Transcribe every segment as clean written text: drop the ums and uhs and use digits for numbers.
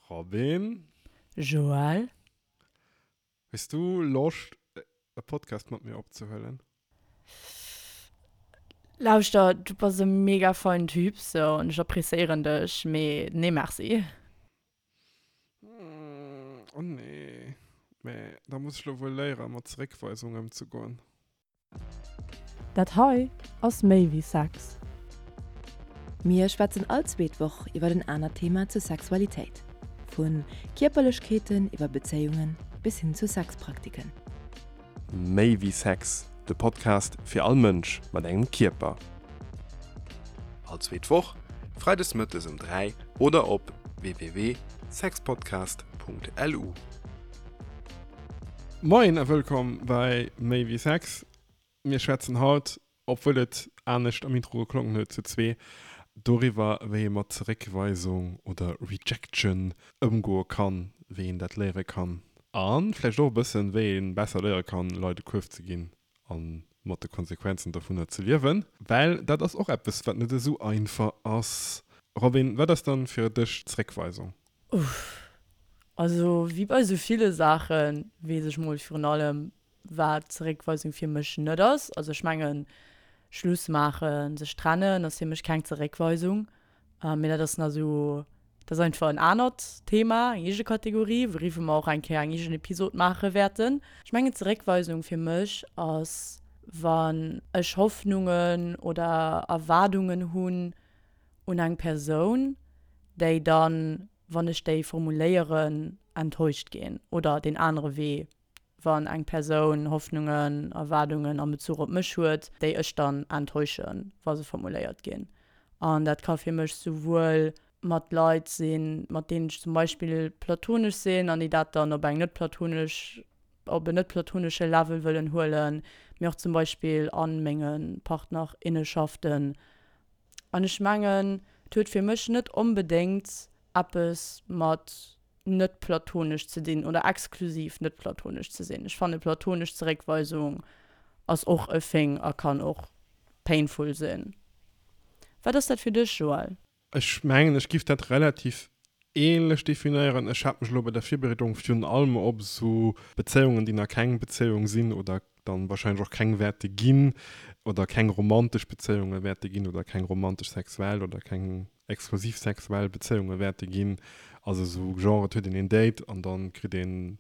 Robin. Joël. Hues du Loscht e Podcast mat mir opzehuelen? Lauschter, du bass e mega feinen Typ, sou, an ech appréciéieren dech, mee nee merci. Oh nee, mä da muss ech lo wuel léieren mat Zeréckweisung ëmzegoen. Dat hei ass méi wéi Sex. Mir schwätzen all zweet Woch iwwer en anert Thema zur Sexualitéit. Vu Kierperlechkeeten iwwer Bezéiungen bis hin zu Sexpraktiken. Méi wéi Sex, de Podcast fir all Mënsch mat engem Kierper. All zweet Woch, freides mëttes um 3 oder op www.sexpodcast.lu. Moien a wëllkomm bei Méi wéi Sex. Mir schwätzen haut, obwuel et anescht am Intro geklongen huet, zu zwee doriwwer, wéi ee mat Zeréckweisung oder Rejection ëmgoe kann, wéi een dat léiere kann a vläicht och e bëssen, wéi ee besser léiere kann, Leit e Kuerf ze ginn a mat de Konsequenzen dovunner ze liewen, well dat ass och eppes, wat net esou einfach ass. Robin, wat ass dann fir dech Zeréckweisung? Uff. Also wéi bei sou ville Saache weess ech mol virun allem, wat Zeréckweisung fir mech net ass. Also ech mengen, Schluss maachen, sech trennen ass fir mech keng Zeréckweisung. Mee dat ass nach sou, dat ass einfach en anert Thema, eng eege Kategorie, wouriwwer mer och eng Kéier eng eegen Episod maache wäerten. Ech mengen Zeréckweisung fir mech ass, wann ech Hoffnungen oder Erwaardungen hunn un eng Persoun, déi dann, wann ech déi formuléieren, enttäuscht ginn oder deen anere Wee, wann eng Persoun Hoffnungen, Erwaardungen am Bezuch op mech huet, déi ech dann enttäuschen, wa se formuléiert ginn. An dat ka fir mech souwuel mat Leit sinn, mat deenen ech zum Beispill platonesch sinn an déi dat dann op eng net platonesch, op en net platonesche Level wëllen huelen, mee och zum Beispill a menge Partnerinneschaften. An ech mengen, et huet fir mech net onbedéngt eppes mat net platonesch ze dinn oder exklusiv net platonesch ze sinn. Ech fanne platonesch Zeréckweisung ass och e Thing a kann och painful sinn. Wat ass dat fir dech, Joël? Ech mengen, ech giff dat relativ ähnlech definéieren. Ech hat mech elo bei der Virbereedung virun allem op esou Bezéiungen, déi nach keng Bezéiung sinn oder dann wahrscheinlech och keng wäerte ginn oder keng romantesch Bezéiunge wäerte ginn oder keng romantesch sexuell oder keng exklusiv sexuell Bezéiunge wäerte ginn. Also esou Genre, et huet een een Date an dann kritt een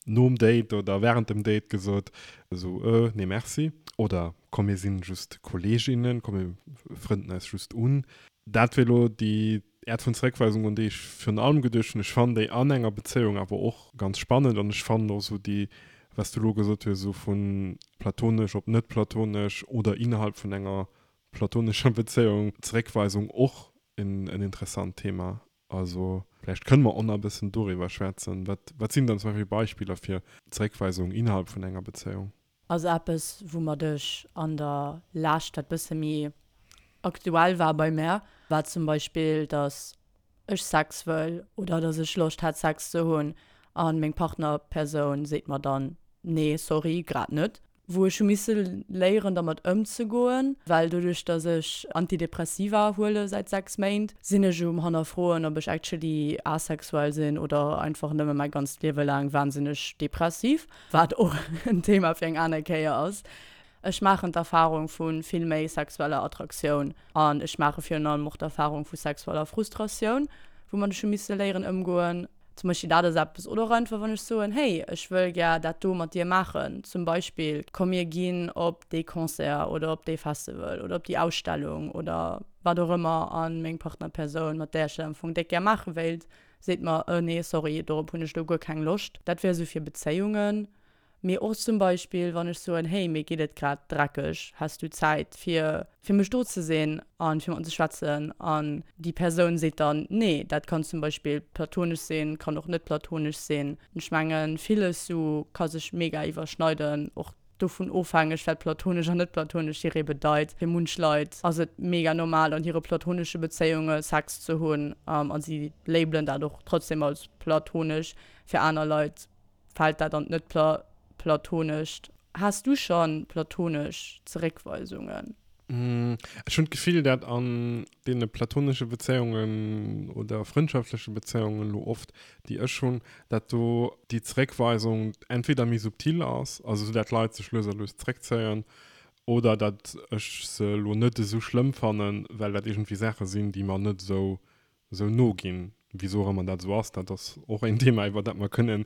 nom Date oder während dem Date gesot, esou, Äh, nee merci. Oder komm mir sinn just Kolleeginnen, komm mir frënden eis just un. Dat wier elo déi Äert vun Zeréckweisung, un déi ech virun allem geduecht hunn. Ech fannen déi an enger Bezéiung awer och ganz spannend an ech fannen och esou déi, wat s du elo gesot hues, esou vu platonesch op net platonesch oder innerhalb vun enger platonescher Bezéiung Zeréckweisung och en interessant Thema. Also vläicht kënne mer och nach e bëssen doriwwer schwätzen. Wat, wat sinn dann zum Beispill Beispiller fir Zeréckweisung innerhalb vun enger Bezéiung? Also eppes woumat ech an der Lescht, wat bësse méi aktuell war bei mär, war zum Beispill, dass ech Sex wëll oder dass ech Loscht hätt Sex ze hunn an meng Partnerpersoun seet mer dann, nee sorry, grad net. Wou ech hu misse léieren dermat ëmzegoen, well doduerch dass ech Antidepressiva huele säit 6 Méint, sinn ech um hannerfroen ob ech actually asexuell sinn oder einfach nëmme mäi ganzt Liewe laang wahnsinneg depressiv, wat och en Thema fir eng aner Kéier ass. Ech maachen d'Erfarung vu vill méi sexueller Attraktioun an ech maache virun allem och d'Erfarung vu sexueller Frustratioun, woumat ech hu misse léieren ëmgoen. Zum Beispill dat ass eppes. Oder och einfach, wann ech soen, Hey, ech wëll gär dat do mat dir maachen. Zum Beispill, komm mir ginn op dee Concert oder op dee Festival oder op déi Ausstellung oder wat och ëmmer a meng Partnerpersoun, mat där ech dat am Fong déck gär maache wéilt, seet mer, Äh, nee, sorry, dorop hunn ech elo guer keng Loscht. Dat wär esou fir Bezéiungen. Mee och zum Beispill, wann ech soen, hey, mir geet et grad dreckeg, häss du Zäit fir fir mech do ze sinn an fir mat mer ze schwätzen? An déi Persoun seet dann, nee. Dat kann zum Beispill platonesch sinn, kann och net platonesch sinn. Ech mengen, villes sou ka sech mega iwwerschneiden, och dovun ofhängeg, wat platonesch an net platonesch hiree bedeit. Fir munch Leit ass et mega normal, an hire platonesche Bezéiunge Sex ze hunn a si labelen dat och trotzdem als platonesch. Fir aner Leit Fällt dat an d'net platonescht? Has du schon platonesch Zeréckweisungen? Ech hunn d'Gefill, dat an deene platonesche Bezéiungen oder frëndschaftleche Bezéiungen elo oft, déi ech hunn, dat do déi Zeréckweisung entweder méi subtil ass, also esou dat d'Leit sech lues a lues zeréckzéien, oder dat ech se elo net esou schlëmm fannen, well dat iergendwéi Saache sinn, déi mer net esou esou no ginn. Wisou och ëmmer dat esou ass, dat ass och een Thema, iwwer dat mer kënnen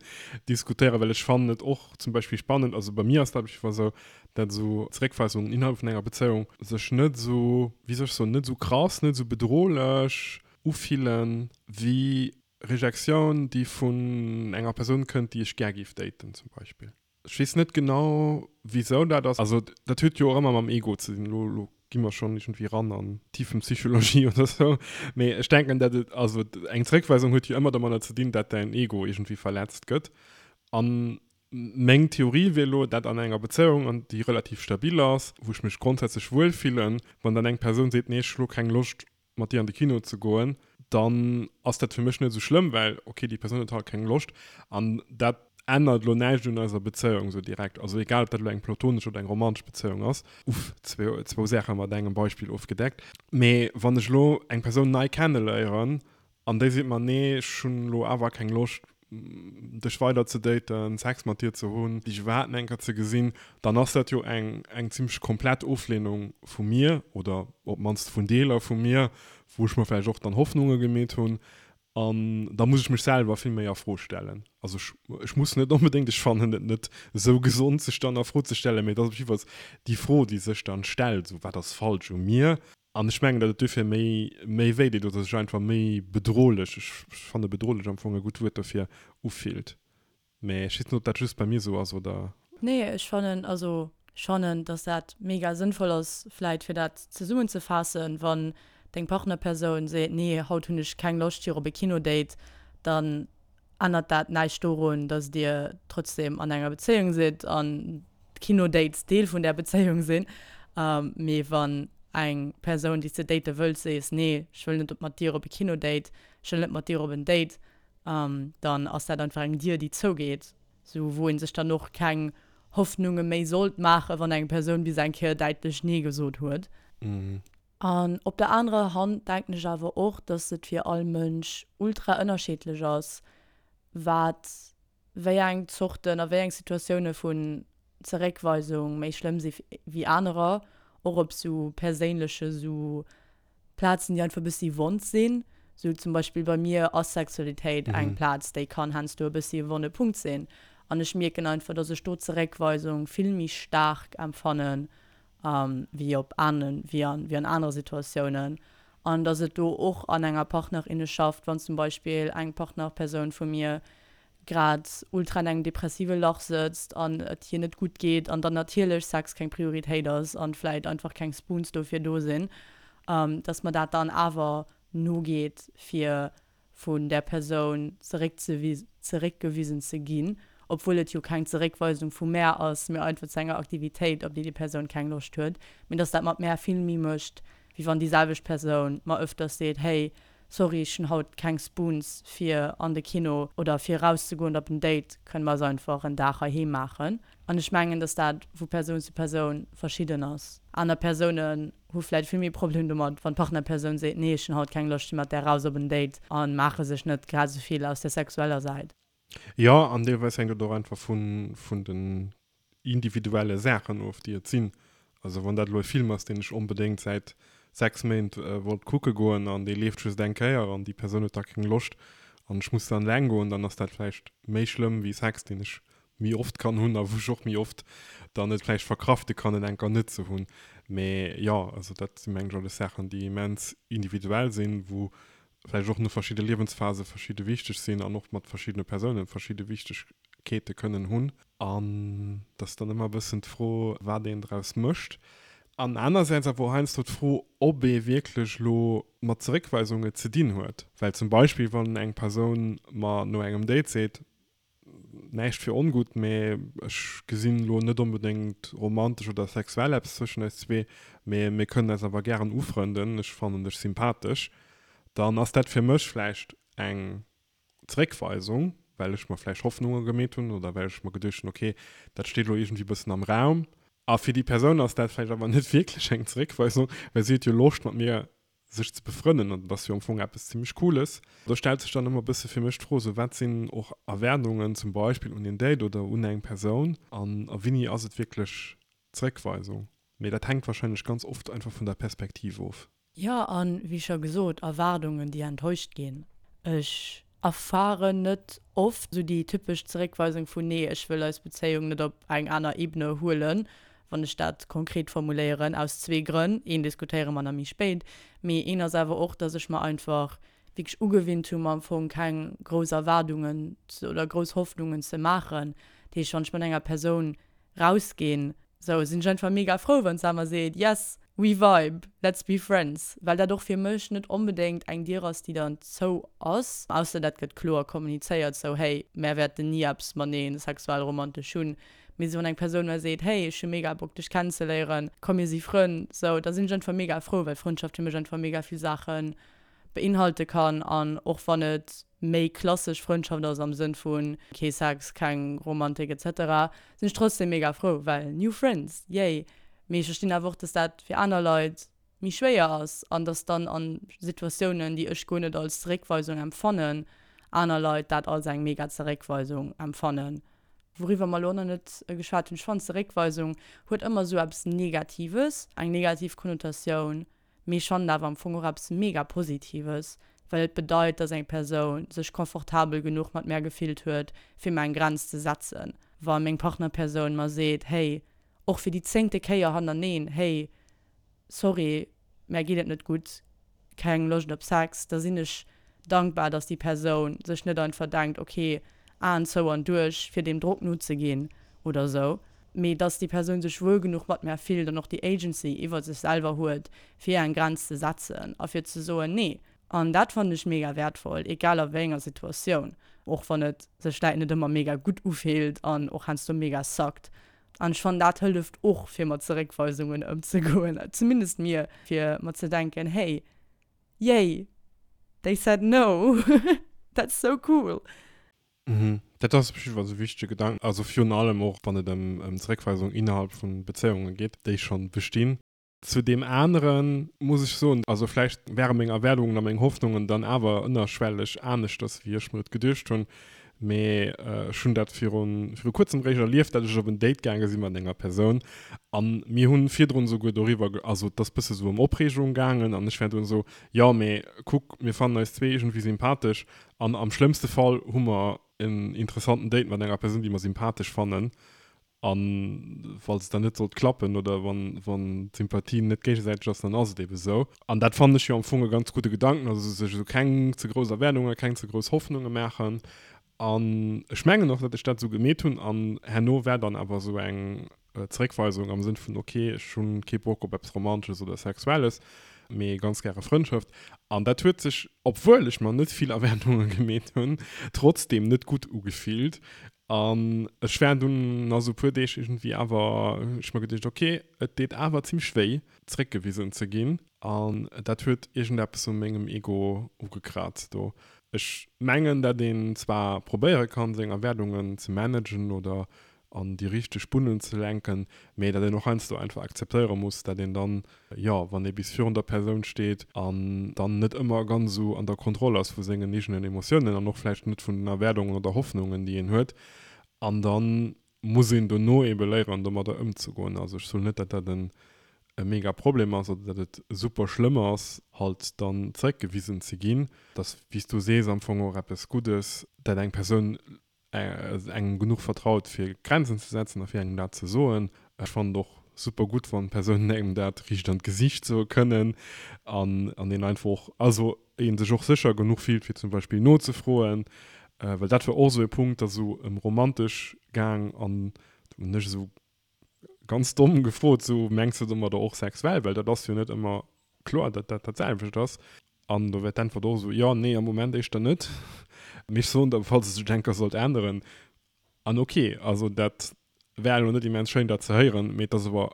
diskutéieren, well ech fannen et och zum Beispill spannend, also bei mir ass dat op jidde Fall esou, dat esou Zeréckweisungen innerhalb vun enger Bezéiung sech net esou, wéi soll ech soen, net esou krass, net esou bedrohlech ufillen, wéi Rejektioun, déi vun enger Persoun kënnt, déi ech gär géif daten zum Beispill. Ech weess net genau, wisou dat ass. Also dat huet jo och ëmmer mam Ego ze dinn. Elo, elo gi mer schonn iergendwéi ran an Tiefenpsychologie oder sou. Mee ech denken, dat et, also eng Zeréckweisung huet jo ëmmer domadder ze dinn, dat däin Ego iergendwéi verletzt gëtt. An meng Theorie wier elo, dat an enger Bezéiung, an déi relativ stabil ass, wou ech mech grondsätzlech wuel fillen, wann dann eng Persoun seet, nee, ech hu lo keng Loscht mat dir an de Kino ze goen, dann ass dat fir mech net esou schlëmm, well ok, déi Persoun huet halt keng Loscht an dat ännert elo näischt un eiser Bezéiung esou direkt. Also egal, ob dat elo eng platonesch oder eng romantesch Bezéiung ass. Uff, zwou Saache mat engem Beispill ofgedeckt. Mee wann ech elo eng Persoun nei kenneléieren An déi seet mer, nee, ech hunn elo awer keng Loscht, dech weider ze daten, Sex mat dir ze hunn, dech iwwerhaapt nach eng Kéier ze gesinn, dann ass dat jo eng, eng zimmlech komplett Oflehnung vu mir oder op d'mannst vun Deeler vu mir, wou ech mer vläicht och dann Hoffnunge gemeet hunn. An da muss ech mech selwer vill méi a Fro stellen. Also ech, ech muss net onbedéngt, ech fannen et net esou gesond, sech dann a Fro ze stellen, mee et ass op jiddefalls déi Fro, déi sech dann stellt, esou, wat ass falsch u mir? An ech mengen, datt et duerfir méi, méi wéi deet oder sech einfach méi bedrohlech, ech fanne bedrohlech am Fong e gutt Wuert dofir, ufillt. Mä ech weess net, ob dat just bei mir esou ass oder. Nee, ech fannen, also ech fannen, datt dat mega sënnvoll ass, vläit fir dat zesummenzefaassen, wann deng Partnerpersoun seet, nee, haut hunn ech keng Loscht fir op e Kinodate, dann ännert dat näischt dorun, datt dir trotzdem an enger Bezéiung sidd an d'Kinodates Deel vun där Bezéiung sinn. Mee wann eng Persoun, déi s de date wëlls, sees, nee, ech wëll net mat dir op e Kinodate, ech wëll net mat dir op en Date, dann ass dat einfach eng Dier, déi zougeet, sou wou ee sech dann och keng Hoffnunge méi sollt maachen, wann eng Persoun bis eng Kéier däitlech Nee gesot huet. An op der anerer Hand denken ech awer och, dass et fir all Mënsch ultra ënnerschiddlech ass, wat wéi eng Zorten a wéi eng Situatioune vun Zeréckweisung méi schlëmm si wéi anerer, och op sou perséinleche sou Plazen, déi einfach e bëssi wond sinn. Sou zum Beispill bei mir ass Sexualitéit eng Plaz, déi kann heiansdo e bëssi e wonne Punkt sinn. An ech mierken einfach, dass ech do Zeréckweisung vill méi staark empfannen wéi op ane wéi an wéi an anere Situatiounen an dass et do och an enger Partnerinneschaft, wann zum Beispill eng Partnerpersoun vu mir grad ultra an engem depressive Lach sëtzt an et hir net gutt geet an dann natierlech Sex keng Prioritéit ass an vläit einfach keng Spoons dofir do sinn, dass mer dat dann awer nogeet fir vun där Persoun zeréckgewisen ze ginn, obwuel et jo keng Zeréckweisung vu mär ass, mee einfach zu enger Aktivitéit, op déi déi Persoun keng Loscht huet, mee dass dat mat mär vill méi mécht, wéi wann déi selwecht Persoun mer ëfters seet, hey, sorry, ech hunn haut keng Spoons fir an de Kino oder fir erauszegoen oder op en Date, kënne mer eis einfach en Dag heiheem maachen. An ech mengen, dass dat vu Persoun zu Persoun verschidden ass. Aner Persounen hu vläit vill méi Problem domat, wann d'Partnerpersoun seet, nee, ech hunn haut keng Loscht, ech si mat där raus op en Date a maache sech net grad esou vill aus der sexueller Säit. Jo, an deelweis hänkt et och einfach vun, vun den individuelle Saachen of, déi et sinn. Also wann dat elo e Film ass, deen ech onbedéngt säit 6 Méint wollt kucke goen an dee leeft just eng Kéier an déi Persoun huet da keng Loscht an ech muss dann eleng goen, dann ass dat vläicht méi schlëmm wéi Sex, deen ech méi oft kann hunn a wou ech och méi oft dann et vläicht verkrafte kann, en enker net ze hunn. Mee jo, also dat si mengen ech alles Saachen, déi immens individuell sinn, wou vläicht och no verschidde Liewensphase verschidde wichteg sinn an och mat verschiddene Persounen verschidde Wichtegkeete kënnen hunn. An et ass dann ëmmer e bëssen d'Fro, wat een draus mécht. An anersäits awer och heiansdo d'Fro, ob ee wierklech elo mat Zeréckweisunge ze dinn huet. Well zum Beispill, wann eng Persoun mer no engem Date seet, Näischt fir ongutt, mee ech gesinn elo net onbedéngt romantesch oder sexuell eppes zwëschen eis zwee, mee mir kënnen eis awer gären ufrënden, ech fannen dech sympathesch, dann ass dat fir mech vläicht eng Zeréckweisung, well ech mer vläicht Hoffnunge gemeet hunn oder well ech mer geduecht hunn, ok, dat steet elo iergendwéi bëssen am Raum. A fir déi Persoun ass dat vläicht awer net wierklech eng Zeréckweisung, well si huet jo Loscht mat mir sech ze befrënnen an dat ass jo am Fong eppes zimmlech Cooles. Do stellt sech dann ëmmer e bësse fir mech d'Fro, sou wat sinn och Erwaardungen zum Beispill un een Date oder un eng Persoun an a wéini ass et wierklech Zeréckweisung? Mee dat hänkt wahrscheinlech ganz oft einfach vun der Perspektiv of. Jo, an wéi scho gesot, Erwaardungen, déi enttäuscht ginn. Ech erfaren net oft esou déi typesch Zeréckweisung vun nee, ech wëll eis Bezéiung net op eng aner Ebene huelen, wann ech dat konkret formuléieren, aus zwee Grënn, een diskutéiere mer nach méi spéit, mee een ass awer och, dass ech mer einfach wierklech ugewinnt hu mer am Fong keng grouss Erwaardungen oder grouss Hoffnungen ze maachen. Dat heescht, wann ech mat enger Persoun rausginn, sou sinn ech einfach mega frou wann s'awer seet yes we vibe, let's be friends, well dat och fir mech net onbedéngt eng Dier ass déi dann zou ass, ausser dat gëtt kloer kommunizéiert sou hey mär wäerten ni eppes mateneen sexuell romantesch hunn, mee sou wann eng Persoun mer seet hey ech hu mega Bock dech kennenzeléieren, komm mir si Frënn, sou da sinn ech einfach mega frou, well Frëndschaft fir mech einfach mega vill Saachen beinhalte kann an och wann et méi klassesch Frëndschaft ass am Sënn vu kee Sex, keng Romantik etc. Sinn ech trotzdem mega frou, well new friends, yay! Mee ech verstinn awer och, dass dat fir aner Leit méi schwéier ass an dass dann a Situatiounen, déi ech guer net als Zeréckweisung empfannen, aner Leit dat als eng mega Zeréckweisung empfannen. Wouriwwer mer elo nach net geschwat hunn, ech fannen Zeréckweisung huet ëmmer esou eppes Negatives, eng negativ Konnotatioun. Mee ech fannen awer am Fong och eppes mega Positives, well et bedeit, dass eng Persoun sech confortabel genuch mat mär gefillt huet, fir mer eng Grenz ze setzen. Wa meng Partnerpersoun mer seet, hey, och fir déi zéngte Kéier hannerneeen, hey, sorry, mär geet et net gutt, keng Loscht op Sex, da sinn ech dankbar, dass déi Persoun sech net einfach denkt, ok, Aen zou an duerch, fir deem Drock nozeginn oder esou, mee dass déi Persoun sech wuel genuch mat mär fillt an och déi Agency iwwer sech selwer huet, fir eng Grenz ze setzen a fir ze soen, nee. An dat fannen ech mega wäertvoll, egal a wéi enger Situatioun, och wann et sech vläit net ëmmer mega gutt ufillt an och heiansdo mega suckt. An ech fannen, dat hëlleft och, fir mat Zeréckweisungen ëmzegoen, zumindest mir, fir mer ze denken, hey, Yay! They said no! That's so cool! Mhm. Dat ass op jidde Fall e wichtege Gedanken. Also virun allem och, wann et ëm Zeréckweisung innerhalb vu Bezéiunge geet, déi schonn bestinn. Zu deem anere muss ech soen, also vläicht ware meng Erwaardungen a meng Hoffnungen dann awer ënnerschwelleg aneschters, wéi ech mer et geduecht hunn. Mee ech hunn dat viru viru kuerzem réischt erlieft, dat ech op en Date gaange si mat enger Persoun an mir hunn virdrun esouguer doriwwer, also et ass bësse sou ëm Opreegung gaangen an ech war dunn esou, jo mee kuck, mir fannen eis zwee iergendwéi sympathesch an am schlëmmste Fall hu mer en interessanten Date mat enger Persoun, déi mer sympathesch fannen An falls et dann net sollt klappen oder wann, wann d'Sympathie net géigesäiteg ass, dann ass et ebe sou. An dat fannen ech jo am Fong e ganz gudde Gedanken, also sech esou keng ze grouss Erwaardungen, keng ze grouss Hoffnunge maachen. An ech mengen och, datt ech dat esou gemeet hunn. An herno war dann awer esou eng Zeréckweisung am Sënn vun, ok, ech hu kee Bock op eppes Romantesches oder Sexuelles, mee ganz gäre Frëndschaft. An dat huet sech, obwuel ech mer net vill Erwaardunge gemeet hunn, trotzdeem net gutt ugefillt. An ech war dunn no sou puer Deeg iergendwéi awer, hunn ech mer geduecht, ok, et deet awer zimmlech wéi, zeréckgewisen ze ginn. An dat huet iergendeppes u mengem Ego ugekraazt do. Ech mengen, dat een zwar probéiere kann, seng Erwaardungen ze managen oder an déi richteg Bunnen ze lenken, mee dat een och heiansdo einfach akzeptéiere muss, dat een dann, jo, wann ee bis virun der Persoun steet an dann net ëmmer ganz esou an der Kontroll ass vu sengen eegenen Emotiounen an och vläicht net vun den Erwaardungen oder Hoffnungen, déi een huet, an da muss een dono eebe léieren, domadder ëmzegoen. Also ech soen net, dat dat en e mega Problem ass oder dat et super schlëmm ass, halt dann zeréckgewisen ze ginn. Et ass, wéi s du sees, am Fong och eppes Guddes, dat eng Persoun engem genuch vertraut fir Grenzen ze setzen a fir engem dat ze soen. Ech fannen et och super gutt wann Persounen engem dat riicht an d'Gesicht soe kënnen an an een einfach och, also een sech och sécher genuch fillt fir zum Beispill nozefroen, well dat war och esou e Punkt, ass esou ëm romantesch gaang an do hunn ech esou ganz domm gefrot, sou, mengs de domadder och sexuell? Well dat ass jo net ëmmer kloer, datt dat dat selwecht ass. An do wär d'Äntwert och esou, jo, nee, am Moment éischter net. Mee ech soen der, falls et sech eng Kéier sollt änneren. An ok, also dat wär elo net immens schéin, dat ze héieren, mee et ass awer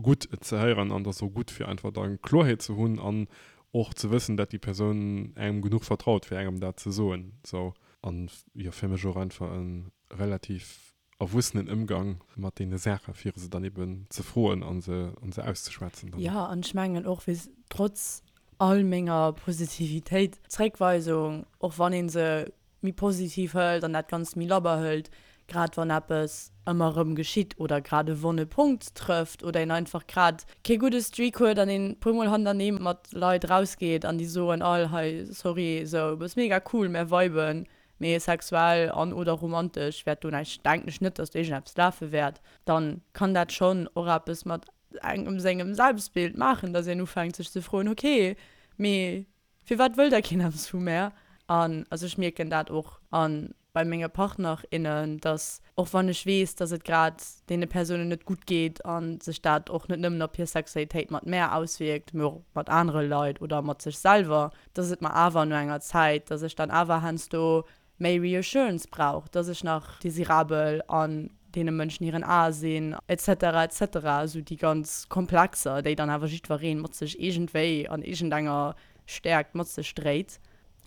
gutt, et ze héieren an et ass och gutt, fir einfach da Kloerheet ze hunn an och ze wëssen, datt déi Persoun engem genuch vertraut, fir engem dat ze soen. Sou, an jo, fir mech och einfach e relativ. erwuessenen Ëmgang mat deene Saache fir se dann eben ze froen a se an se auszeschwätzen dann. Jo, an ech mengen och, wéi trotz all menger Positivitéit, Zréckweisung, och wann ee se méi positiv hëlt an dat Ganzt méi labber hëlt, grad wann eppes ëmmer erëm geschitt oder grad e wonne Punkt trëfft oder een einfach grad kee gudde Streak huet an een puer mol hannerneem mat Leit rausgeet an déi soen all, hei sorry, sou bass mega cool, mär viben, mee sexuell an oder romantesch wäert do näischt, denken ech net, dass do iergendeppes lafe wäert, dann kann dat schonn och eppes mat engem sengem Selbstbild maachen, dass een ufänkt sech ze froen, ok, mee firwat wëll da keen eppes vu mär? An also ech mierken dat och an bei menge Partner, innen, dass och wann ech weess, dass et grad deene Persounen net gutt geet a sech dat och net nëmmen op hir Sexualitéit mat mär auswierkt, mee och mat anere Leit oder mat sech selwer, dass et mer awer no enger Zäit, dass ech dann awer heiansdo méi Reassurance brauch, dass ech nach desirabel an deene Mënschen hiren Ae sinn, et cetera, et cetera, esou déi ganz Komplexer, déi dann awer jiddweree mat sech iergendwéi an iergendenger Stäerkt mat sech dréit.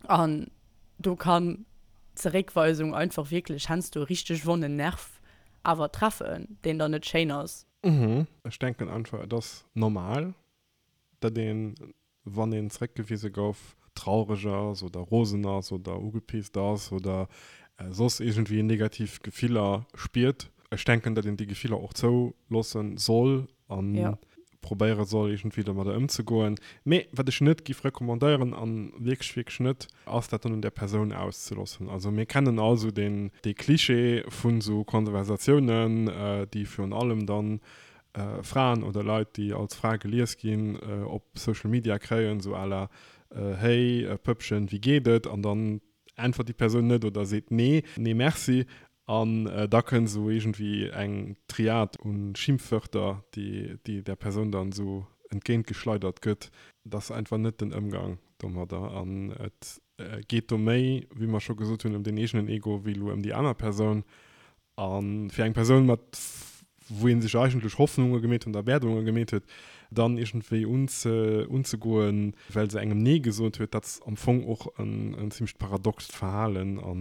An do kann d'Zeréckweisung einfach wierklech heiansdo e richteg wonnen Nerv awer treffen, deen dann net schéin ass. Ech denken einfach, et ass normal, datt een, wann een zeréckgewise gouf, traureg ass oder rosen ass oder ugepisst ass oder soss iergendwéi negativ Gefiller spiert. Ech denken, datt een déi Gefiller och zouloosse soll a probéiere soll, iergendwéi domadder ëmzegoen. Mee wat ech net giff recommandéieren, a wierklech, wierklech net, ass dat dann un där Persoun auszeloossen. Also mir kennen all esou deen, dee Klischee vun esou Konversatiounen, déi virun allem dann Fraen oder Leit, déi als Fra gelies ginn, op Social Media kréien, esou à la Hey Pëppchen, wéi geet et? An dann äntwert déi Persoun net oder seet Nee, nee merci. An da kënnt esou iergendwéi eng Triad u Schimpfwörter, déi déi där Persoun dann esou entgéintgeschleidert gëtt. Dat ass einfach net den Ëmgang domadder. An et geet do méi, wéi mer scho gesot hunn, ëm den eegenen Ego wéi elo ëm déi aner Persoun. A fir eng Persoun, mat wou ee sech eigentlech Hoffnunge gemeet huet, Erwaardunge gemeet huet, dann iergendwéi unzegoen, well se engem Nee gesot huet, dat ass am Fong och en zimmlecht paradoxt Verhalen a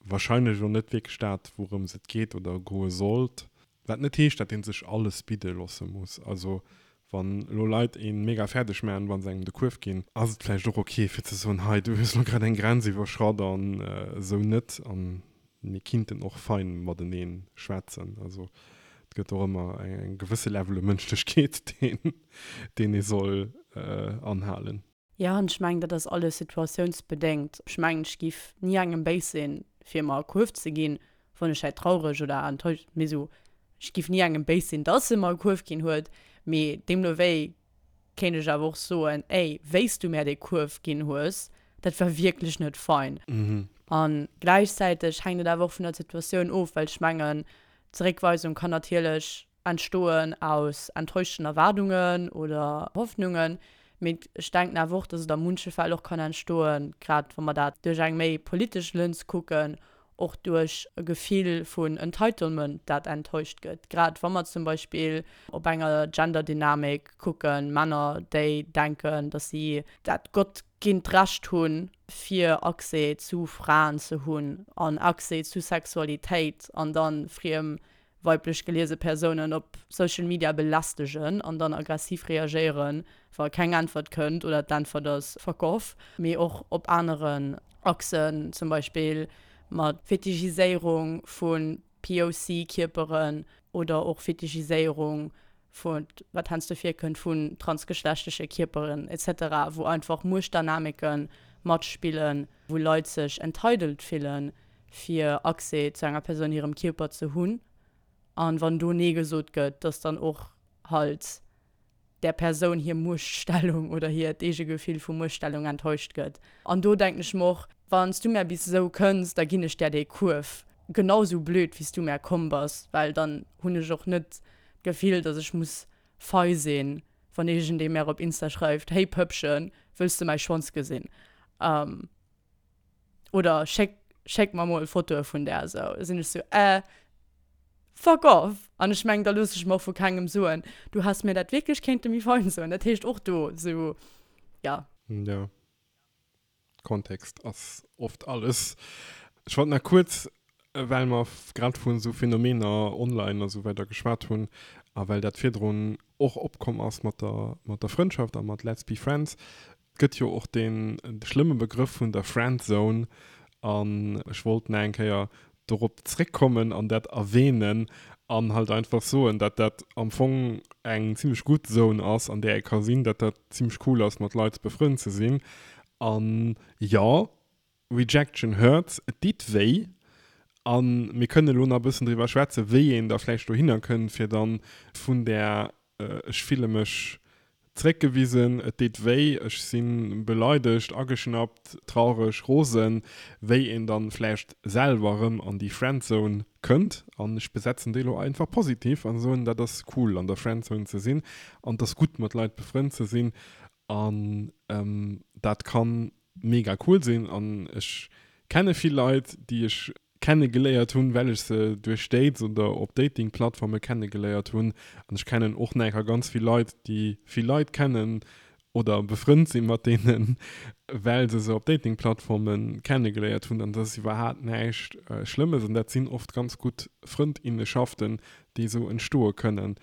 warscheinlech och net wierklech dat, wourëms et geet oder goe sollt. Wat net heescht, datt ee sech alles bidde loosse muss. Also wann elo Leit ee mega fäerdeg maachen, wa se engem de Kuerf ginn, ass et vläicht och ok fir ze soen, hei du hues elo grad eng Grenz iwwerschratt an esou net. An mir kinnten och fein matenee schwätzen. Also et gëtt och ëmmer eng gewësse Level u Mënschlechkeet, deen deen ee soll anhalen. Jo, an ech mengen, dat ass alles situatiounsbedéngt. Ech mengen, ech giff ni engem béis sinn, fir mer e Kuerf ze ginn, wann ech hätt traureg oder enttäuscht, mee sou, ech giff ni engem béis sinn, dass e mer e Kuerf ginn huet, mee deemno wéi kéint ech awer och soen, ey, wéi s du mär dee Kuerf ginn hues, dat war wierklech net fein. A gläichzäiteg hänkt et awer och vun der Situatioun of, well ech mengen, Zeréckweisung kann natierlech entstoen aus enttäuschten Erwaardungen oder Hoffnungen, mee ech denken awer och, dass et a munche Fäll och kann entstoen, grad wa mer dat duerch eng méi politesch Lëns kucken, och duerch e Gefill vun Entitlement, dat enttäuscht gëtt. Grad wa mer zum Beispill op enger Genderdynamik kucken, Männer, déi denken, dass si dat gottginnt Recht hunn, fir Accès zu Fraen ze hunn an Accès zu Sexualitéit an da friem weiblech geliese Persounen op Social Media belästegen an dann aggressiv reagéieren, wa keng Äntwert kënnt oder d'Äntwert ass fuck off, mee och op aneren Achsen, zum Beispill mat Fetichiséierung vu POC-Kierperen oder och Fetichiséierung vu, wat heiansdo virkënnt, vun transgeschlechtleche Kierperen etc, wou einfach Muechtdynamike matspillen, wou Leit sech entitled fillen, fir Accès zu enger Persoun hirem Kierper ze hunn, an wann do Nee gesot gëtt, dass dann och halt där Persoun hir Muechtstellung oder hiert eege Gefill vu Muechtstellung enttäuscht gëtt. An do denken ech mer och, Wann s du mär bis esou kënns, da ginn ech där dee Kuerf genau esou blöd, wéi s du mär komm bass, well dann hunn ech och net d'Gefill, dass ech muss fei sinn, wann iergendee mär op Insta schreift, Hey Pëppchen, wëlls de mäi Schwanz gesinn? Oder schéck, schéck mer mol Fotoe vun där esou. Da sinn ech sou, äh, fuck off! An ech mengen, da looss ech mer och vu kengem soen, du häss mir dat wierklech kéinte méi fein soen. Dat heescht och do sou, ja. Jo, Kontext ass oft alles. Ech wollt nach kuerz. Well mer grad vun esou Phänomener online a sou weider geschwat hunn a well dat virdrun och opkomm ass mat der, mat der Frëndschaft a mat Let's be friends, et gëtt jo och dee schlëmme Begrëff vun der Friendzone an ech wollt nach eng Kéier dorop zréckkommen an dat erwähnen an halt einfach soen, dat dat am Fong eng zimmlech gutt Zone ass, an där ee ka sinn, dat dat zimmlech cool ass mat Leit befrënnt ze sinn an jo, Rejection hurts, et deet wéi. A mir kënnen elo nach e bëssen driwwer schwätzen, wéi een da vläicht dohinner kënnt, fir dann vun där ech fille mech zréckgewisen, et deet wéi, ech si beleidegt, ageschnappt, traureg, rosen, wéi een dann vläicht selwer erëm an déi Friendzone kënnt. An ech besetzen déi elo einfach positiv a soen, dat ass cool an der Friendzone ze sinn an et ass gutt mat Leit befrënnt ze sinn an dat kann mega cool sinn an ech kenne vill Leit déi ech kenne geléiert hunn well ech se duerch Dates oder op Dating Plattforme kenne geléiert hunn an ech kennen och nach ganz vill Leit déi vill Leit kennen oder befrënnt sinn mat deenen well se se op Dating Plattforme kenne geléiert hunn an dat ass iwwerhaat näischt Schlëmmes an dat sinn oft ganz gutt Frëndinnenschaften déi esou entstoe kënnen.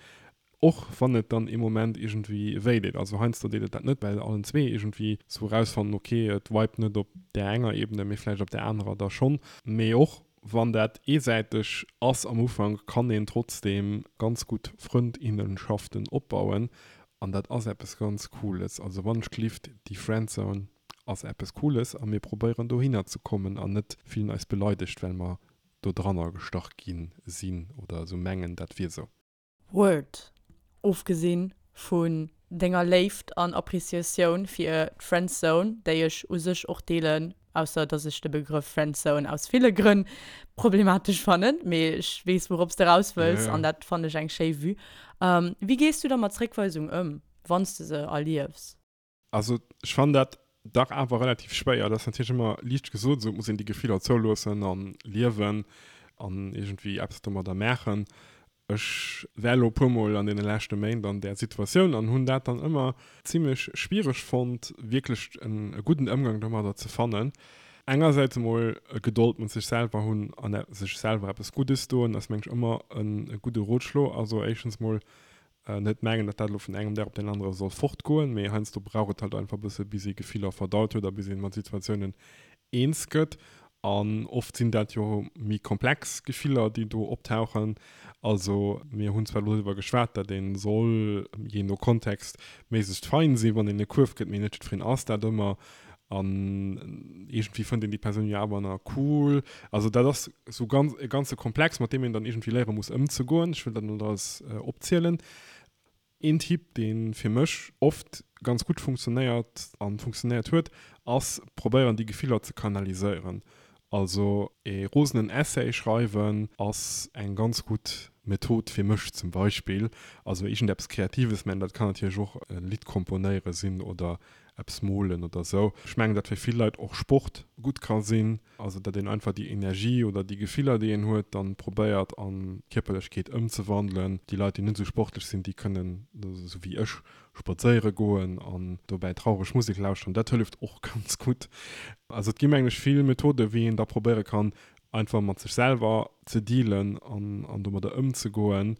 Och wann et dann ee Moment iergendwéi wéi deet. Also heiansdo deet et dat net, well allen zwee iergendwéi sou erausfannen, ok, et vibet net op där enger Ebene, mee vläicht op där anerer da schonn. Mee och wann dat eesäiteg ass am Ufank, kann een trotzdeem ganz gutt Frëndinnenschaften opbauen an dat ass eppes ganz Cooles. Also wann ech gelift, déi Friendzone ass eppes Cooles a mir probéieren dohinner ze kommen an net fillen eis beleidegt, well mer do dranner gestach gi sinn oder esou mengen, dat wier sou. Word, Ofgesinn vun denger Léift an Appreciatioun fir d'Friendzone, déi ech u sech och deelen, ausser dass ech de Begrëff Friendzone aus ville Grënn problematesch fannen, mee ech weess wourops de raus wëlls an dat fannen ech eng schéi Vue. Wéi gees du da mat Zréckweisung ëm, wann s de se erliefs? Also ech fannen dat dach awer relativ schwéier. Dat ass natierlech ëmmer liicht gesot, esou et muss een déi Gefiller zouloossen an liewen an iergendwéi eppes domadder maachen. Ech war elo e puer mol an deene leschte Méint an där Situatioun an hunn dat dann ëmmer zimlech schwiereg fonnt, wierklech e gudden Ëmgang domadder ze fannen. Engersäits emol Gedold mat sech selwer hunn an sech selwer eppes Guddes doen, ass mengen ech ëmmer e gudde Rotschlo. Also éischtens mol Net mengen, datt dat elo vun engem Dag op deen anere soll fortgoen, mee heiansdo brauch et halt einfach e bësse bis ee Gefiller verdaut huet a bis ee mat Situatiounen eens gëtt. An oft sinn dat jo méi komplex Gefiller, déi do optauchen. Also mir hunn zwar elo driwwer geschwat, datt ee soll, jee no Kontext, méiglechst fein sinn, wann een e Kuerf gëtt, mee net jiddwereen ass dat ëmmer. An iergendwéi fënnt een déi Persoun jo awer nach cool. Also dat ass sou ganz e ganze Komplex, mat deem een dann iergendwéi léiere muss ëmzegoen. Ech wëll dat net alles opzielen. Een Tipp, dee fir mech oft ganz gutt funktionéiert a funktionéiert huet, ass probéieren déi Gefiller ze kanaliséieren. Also ee rosenen Essay schreiwen ass eng ganz gutt Method fir mech zum Beispill. Also iergendeppes Kreatives, mä dat kann natierlech och e Lidd komponéiere sinn oder eppes molen oder sou. Ech mengen, datt fir vill Leit och Sport gutt ka sinn, also datt een einfach déi Energie oder déi Gefiller, déi een huet, dann probéiert an Kierperlechkeet ëmzewandelen. Déi Leit, déi net esou sportlech sinn, déi kënnen, esou wéi ech, spadséiere goen an dobäi traureg Musek lauschteren. Dat hëlleft och ganz gutt. Also et gi mengen ech vill Methoden, wéi een da probéiere kann, einfach mat sech selwer ze dealen an an domadder ëmzegoen.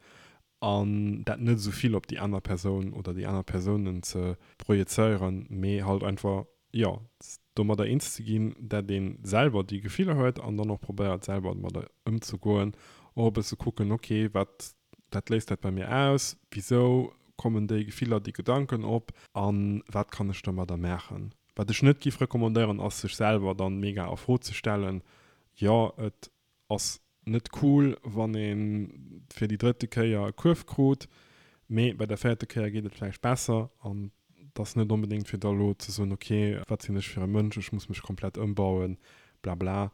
an dat net esou vill op déi aner Persoun oder déi aner Persounen ze projezéieren, mee halt einfach, jo, domadder eens ze ginn, dat ee selwer déi Gefiller huet an dann och probéiert selwer domadder ëmzegoen, och e bësse kucken, ok, wat, wat léist dat bei mir aus, wisou kommen déi Gefiller, déi Gedanken op a wat kann ech domadder maachen. Wat ech net giff recommandéieren, ass sech selwer dann mega a Fro ze stellen, jo, et Ass net cool wann een fir déi drëtte Kéier e Kuerf krut, mee bei der véierte Kéier geet et vläicht besser an et ass net onbedéngt fir da lo ze soen, ok wat sinn ech fir e Mënsch, ech muss mech komplett ëmbauen, blabla.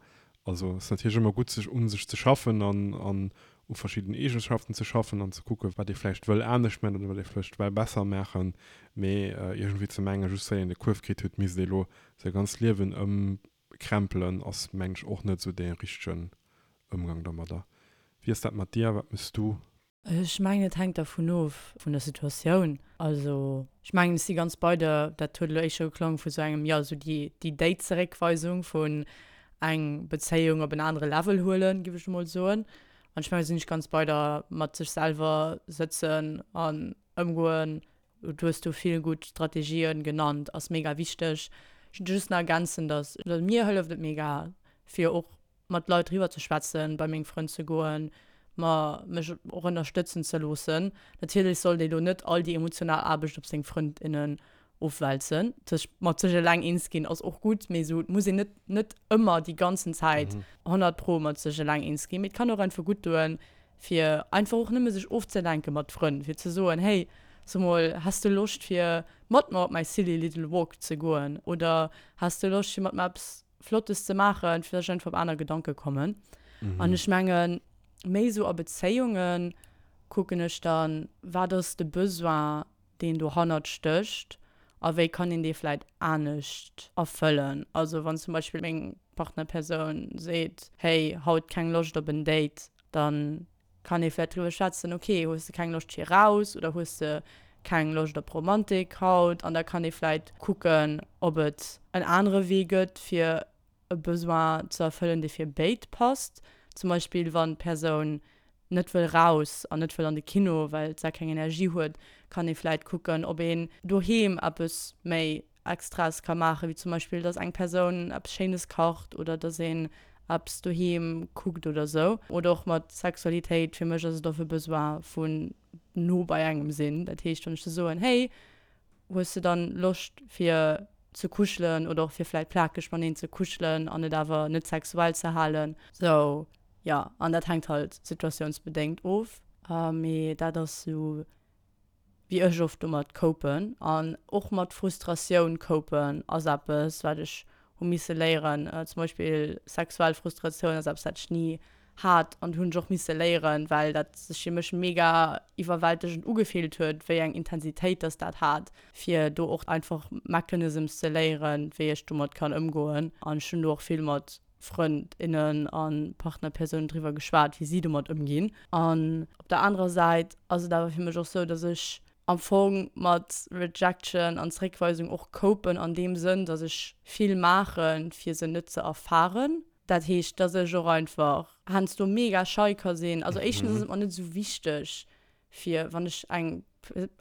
Also ass natierlech ëmmer gutt sech un sech ze schaffen an an u verschidden Eegenschaften ze schaffen an ze kucken wat ee vläicht wëll anescht maachen oder wat ee vläicht well besser maachen, mee iergendwéi ze mengen just well een e Kuerf kritt huet misst ee lo säi ganzt Liewen ëm Krempelen ass mengen ech och net esou dee richtegen Ëmgang domadder. Wéi ass dat mat dir? Wat mëss du? Ech mengen et hänkt dervun of, vun der Situatioun. Also ech mengen ech si ganz bei der, dat huet elo éischter geklongen vu sou engem, jo sou déi déi Date-Zeréckweisung vun. eng Bezéiung op en anere Level huelen, giff ech emol soen. An ech mengen, do sinn ech ganz bei der, mat sech selwer sëtzen an ëmgoen. Du hues do vill gutt Strategien genannt, ass mega wichteg. Ech wollt just nach ergänzen, dass, also mir hëlleft et mega fir och mat Leit driwwer ze schwätzen, bei meng Frënn ze goen, mer mech och ënnerstëtzen ze loossen. Natierlech sollt ee lo net all déi emotional Aarbecht op seng Frënd, innen ofwälzen. Sech mat sech eleng eens ginn ass och gutt, mee esou et muss een net net ëmmer déi ganzen Zäit 100 pro mat sech eleng eens ginn. Mee et kann och einfach gutt doen, fir einfach och nëmme sech ofzelenke mat Frënn, fir ze soen, hey, so mol, häss de Loscht fir mat mer op mäi silly little walk ze goen oder häss de Loscht fir mat mer eppes Flottes ze maachen, fir dass ech einfach op aner Gedanke kommen. An ech mengen, méi esou a Bezéiunge kucken ech dann, wat ass de Besoin, deen dohannert stécht a wéi kann een dee vläit anescht erfëllen. Also wann zum Beispill meng Partnerpersoun seet, hey, haut keng Loscht op en Date, dann kann ee vläit driwwer schwätzen, ok, hues de keng Loscht fir raus oder hues de keng Loscht op Romantik haut? An da kann ee vläit kucken, ob et en anere Wee gëtt, fir e Besoin ze erfëllen, dee fir béid passt. Zum Beispill wann d'Persoun net wëll raus an net wëll an de Kino, well se keng Energie huet, kann ee vläit kucken, ob een doheem eppes méi Extraes ka maachen, wéi zum Beispill, dass eng Persoun eppes Schéines kacht oder dass een eppes doheem kuckt oder sou. Oder och mat Sexualitéit, fir mech ass et och e Besoin vun no bei engem sinn. Dat heescht, wann ech da soen, hey, hues de dann Loscht fir ze kuschelen oder och fir vläit plakeg mateneen ze kuschelen an et awer net sexuell ze halen. Sou, jo, an dat hänkt halt situatiounsbedéngt of, mee dat ass sou wéi ech oft domat copen an och mat Frustratioun copen ass eppes wat ech hu misse léieren. Zum Beispill sexuell Frustratioun ass eppes wat ech ni hat an hunn ech och misse léieren, well dat sech fir mech mega iwwerwältegend ugefillt huet, wéi eng Intensitéit dass dat hat, fir do och einfach Mechanisms ze léieren, wéi ech domat kann ëmgoen. An ech hunn do och vill mat Frënd, innen a Partnerpersounen driwwer geschwat, wéi si domat ëmginn. An op der anerer Säit ass et awer fir mech och sou, datt ech am Fong mat Rejection an Zeréckweisung och copen an deem Sënn, datt ech vill maachen, fir se net ze erfaren. Dat heescht, datt ech och einfach heiansdo mega schei ka sinn. Also éischtens ass et mer net esou wichteg, fir wann ech eng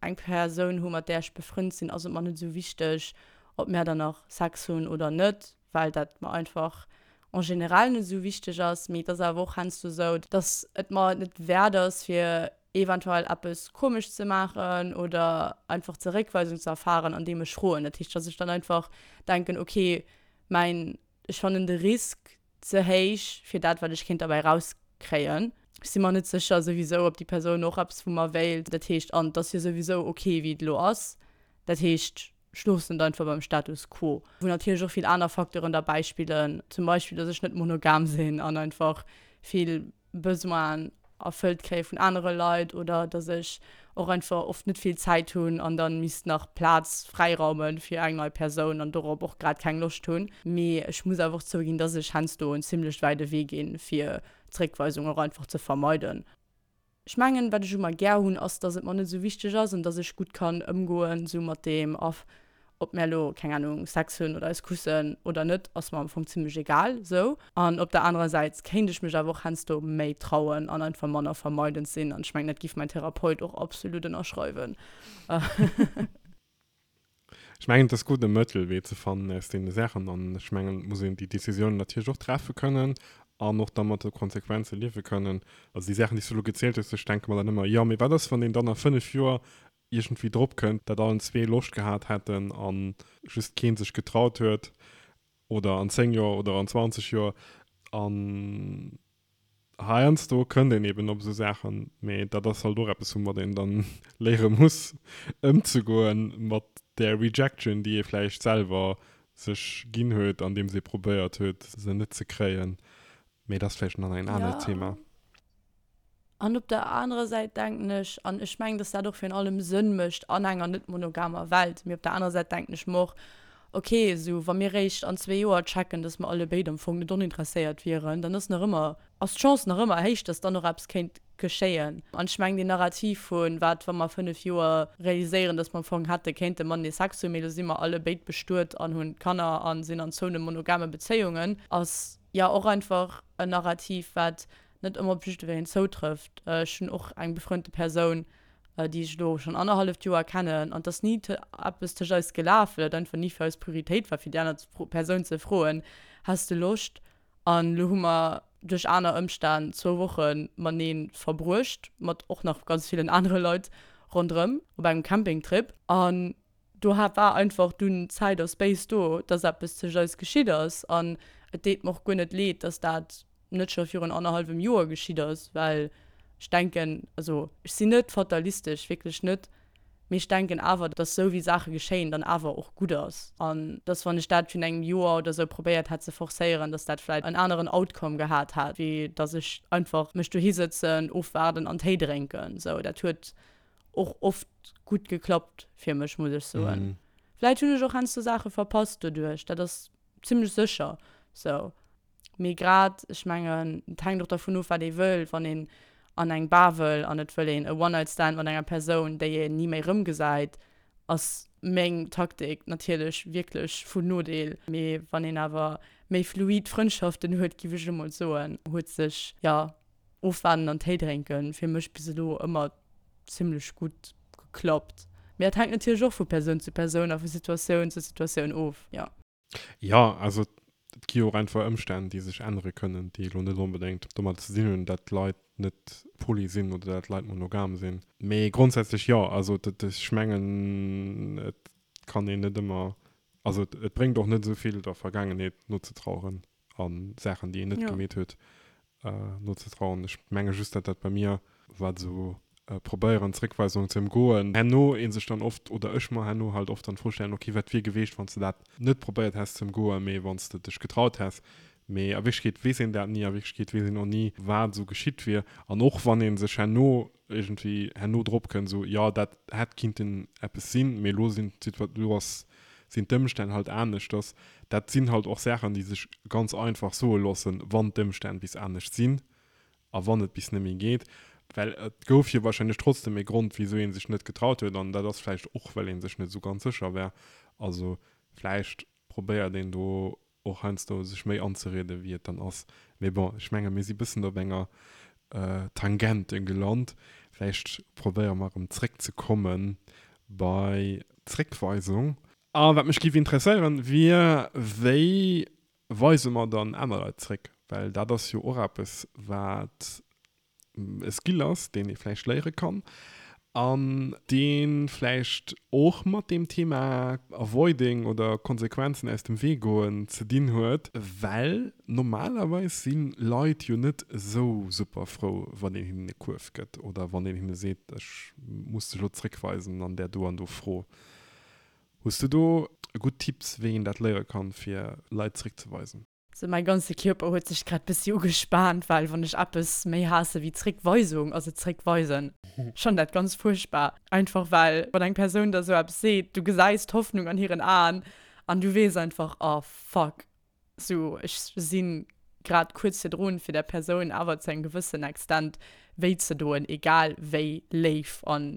eng Persoun hu mat där ech befrënnt sinn, ass et mer net esou wichteg, ob mär dann nach Sex hunn oder net. well dat mer einfach en général net esou wichteg ass, mee et ass awer och heiansdo esou, dass et mer et net wäert ass, fir eventuell eppes komesch ze maachen oder einfach Zeréckweisung ze erfahren, andeem ech froen. Dat heescht, dass ech dann einfach denken, okay, mäin, ech fannen de Risk ze héich fir dat, wat ech kéint derbäi erauskréien. Ech si mer net sécher souwisou, ob déi Persoun och eppes vu mer wéilt. Dat heescht, an et ass jo souwisou okay, wéi et elo ass. Dat heescht, Ech loossen et einfach beim Status quo. Wou natierlech och vill aner Facteuren derbäi spillen, zum Beispill, dass ech net monogam sinn an einfach vill Besoinen erfëllt kréie vun anere Leit oder dass ech och einfach oft net vill Zäit hunn an dann misst nach Plaz fräiraume fir eng nei Persoun an dorop och grad keng Loscht hunn. Mee ech muss awer och zouginn, dass ech heiansdo en zimlech wäide Wee ginn, fir Zréckweisung och einfach ze vermeiden. Ech mengen, wat ech u mer gär hunn, ass, dass et mer net esou wichteg ass an dass ech gutt kann ëmgoen esou mat deem a ob mär elo, keng Ahnung, Sex hunn oder eis kussen oder net, ass mer am Fong zimmlech egal esou. An op der anerer Säit kéint ech mech awer och heiansdo méi trauen an einfach manner vermeidend sinn an ech mengen, dat giff mäin Therapeut och absolut ënnerschreiwen. Ech mengen, et ass gutt, e Mëttelwee ze fannen aus deene Saachen. An ech mengen, et muss een déi Décisionen natierlech och treffe kënnen an och da mat de Konsequenze liewe kënnen. Also déi Saachen, déi s du elo gezielt hues, ech denke mer dann ëmmer, jo, mee wat ass, wann een dann a fënnf Joer iergendwéi drop kënnt, datt allen zwee Loscht gehat hätten a just kee sech getraut huet, oder an zéng Joer oder an 20 Joer. An Heiansdo kënnt een eben op esou Saachen, mee dat ass halt och eppes, woumat een dann léiere muss ëmzegoen, mat där Rejection, déi ee vläicht selwer sech ginn huet, andeems ee probéiert huet, se net ze kréien. Mee dat ass vläicht nach en anert Thema. An op der anerer Säit denken ech, an ech mengen, dass dat och virun allem Sënn mécht an enger net monogamer Welt, mee op der anerer Säit denken ech mer och, Ok, esou wa mir réischt an zwee Joer checken, dass mer allebéid am Fong net oninteresséiert wieren, dann ass nach ëmmer, ass d'Chance nach ëmmer héich, dass dann och eppes kéint geschéien. An ech mengen, deen Narrativ vun, wat wa mer 5 Joer realiséieren, dass mer am Fong hätte kéinte matenee Sex hunn, mee elo si mer allebéid bestuet an hunn Kanner a sinn an zoune monogame Bezéiungen, ass. Jo, och einfach en Narrativ, wat net ëmmer op jiddwereen zoutrëfft. Ech hunn och eng befreundete Persoun, déi ech elo schonn annerhalleft Joer kennen, an et ass ni eppes tëscht eis gelaf, well et einfach ni fir eis Prioritéit war, fir déi aner Persoun ze froen, Häss de Loscht? An elo hu mer duerch aner Ëmstänn zwou Woche matenee verbruecht, mat och nach ganz villen anere Leit ronderëm, op engem Campingtrip. An do war einfach dunn Zäit a Space do, dass eppes tëscht eis geschitt ass. An et deet mer och guer net leed, dass dat net scho virun annerhallwem Joer geschitt ass, well ech denken, also ech sinn net fatalistesch, wierklech net, mee ech denken awer, dass esou wéi Saache geschéien, dann awer och gutt ass. An dass wann ech dat virun engem Joer oder esou probéiert hätt ze forcéieren, dass dat vläit en aneren Outcome gehat hätt, wéi dass ech einfach mech dohi sëtzen, ofwaarden an Téi drénken. Sou, dat huet och oft gutt geklappt fir mech, muss ech soen. Vläit hunn ech och heiansdo Saache verpasst doduerch, dat ass zimmlech sécher sou. Mee grad, ech mengen, et hänkt och dervun of, wat ee wëll. Wann een an eng Bar wëll an et wëll een e One-Night-Stand mat enger Persoun, déi een ni méi erëmgesäit, ass meng Taktik natierlech wierklech vun Nodeel. Mee wann een awer méi fluid Frëndschaften huet, giff ech elo mol soen, huet sech, jo, ofwaarden an Téi drénken fir mech bis elo ëmmer zimmlech gutt geklappt. Mee dat hänkt natierlech och vu Persoun zu Persoun a vu Situatioun zu Situatioun of, jo. Jo, also et gi jo och einfach Ëmstänn, déi sech ännere kënnen, déi elo net onbedéngt domat ze dinn hunn, dat d'Leit net poly sinn oder dat d'Leit monogam sinn. Mee grondsätzlech jo, also ech mengen, et kann een net ëmmer, also et bréngt och net esou vill der Vergaangenheet nozetraueren a Saachen, déi een net gemeet huet, nozetrauern. Ech menge just, datt dat bei mir, wat esou probéieren Zréckweisungen ze ëmgoen, herno ee sech dann oft, oder ech mer herno halt oft dann d'Fro stellen, ok, wat wier geweecht, wann s de dat net probéiert häss ze ëmgoen, mee wann s de dech getraut häss. Mee a Wierklechkeet weess een dat ni, a Wierklechkeet weess een och ni, wat esou geschitt wier. An och wann ee sech herno iergendwéi herno drop kënnt, esou, jo, dat hätt kinnten eppes sinn, mee elo sinn d'Situa-, elo ass, sinn d'Ëmstänn halt aneschters. Dat sinn halt och Saachen, déi sech ganz einfach soe loossen, wann d'Ëmstänn bis anescht sinn a wann et bis net méi geet. Well et gouf jo wahrscheinlech trotzdem e Grond, wisou ee sech net getraut huet, an dat ass vläicht och, well ee sech net esou ganz sécher war. Also vläicht probéiert een do och heiansdo sech méi anzerieden, wéi et dann ass. Mee bon, ech menge mir si bëssen op enger Tangente gelant. Vläicht probéiere mer erëm zréckzekomme bei d'Zréckweisung. A wat mech géif interesséieren, wier, wéi weise mer dann aner Leit zréck? Well dat ass jo och eppes, wat e Skill ass, deen ee vläicht léiere kann an dee vläicht och mat deem Thema Avoiding oder Konsequenzen aus dem Wee goen ze dinn huet, well normalerweis si Leit jo net esou super frou, wann een hinnen e Kuerf gëtt oder wann een hinne seet, ech muss dech elo zréckweisen an där do an do Fro. Hues du do gutt Tipps, wéi een dat léiere kann, fir Leit zréckzeweisen? Sou mäi ganze Kierper huet sech grad bessi ugespaant, well wann ech eppes méi haasse wéi Zréckweisung, ass et Zréckweisen. Ech fannen dat ganz fuerchtbar. Einfach well wann eng Persoun der sou eppes seet, du gesäis d'Hoffnung an hiren Aen an du weess einfach, oh fuck, sou ech si grad kuerz virdrun fir där Persoun awer zu engem gewëssen Extent wéi ze doen, egal wéi léif an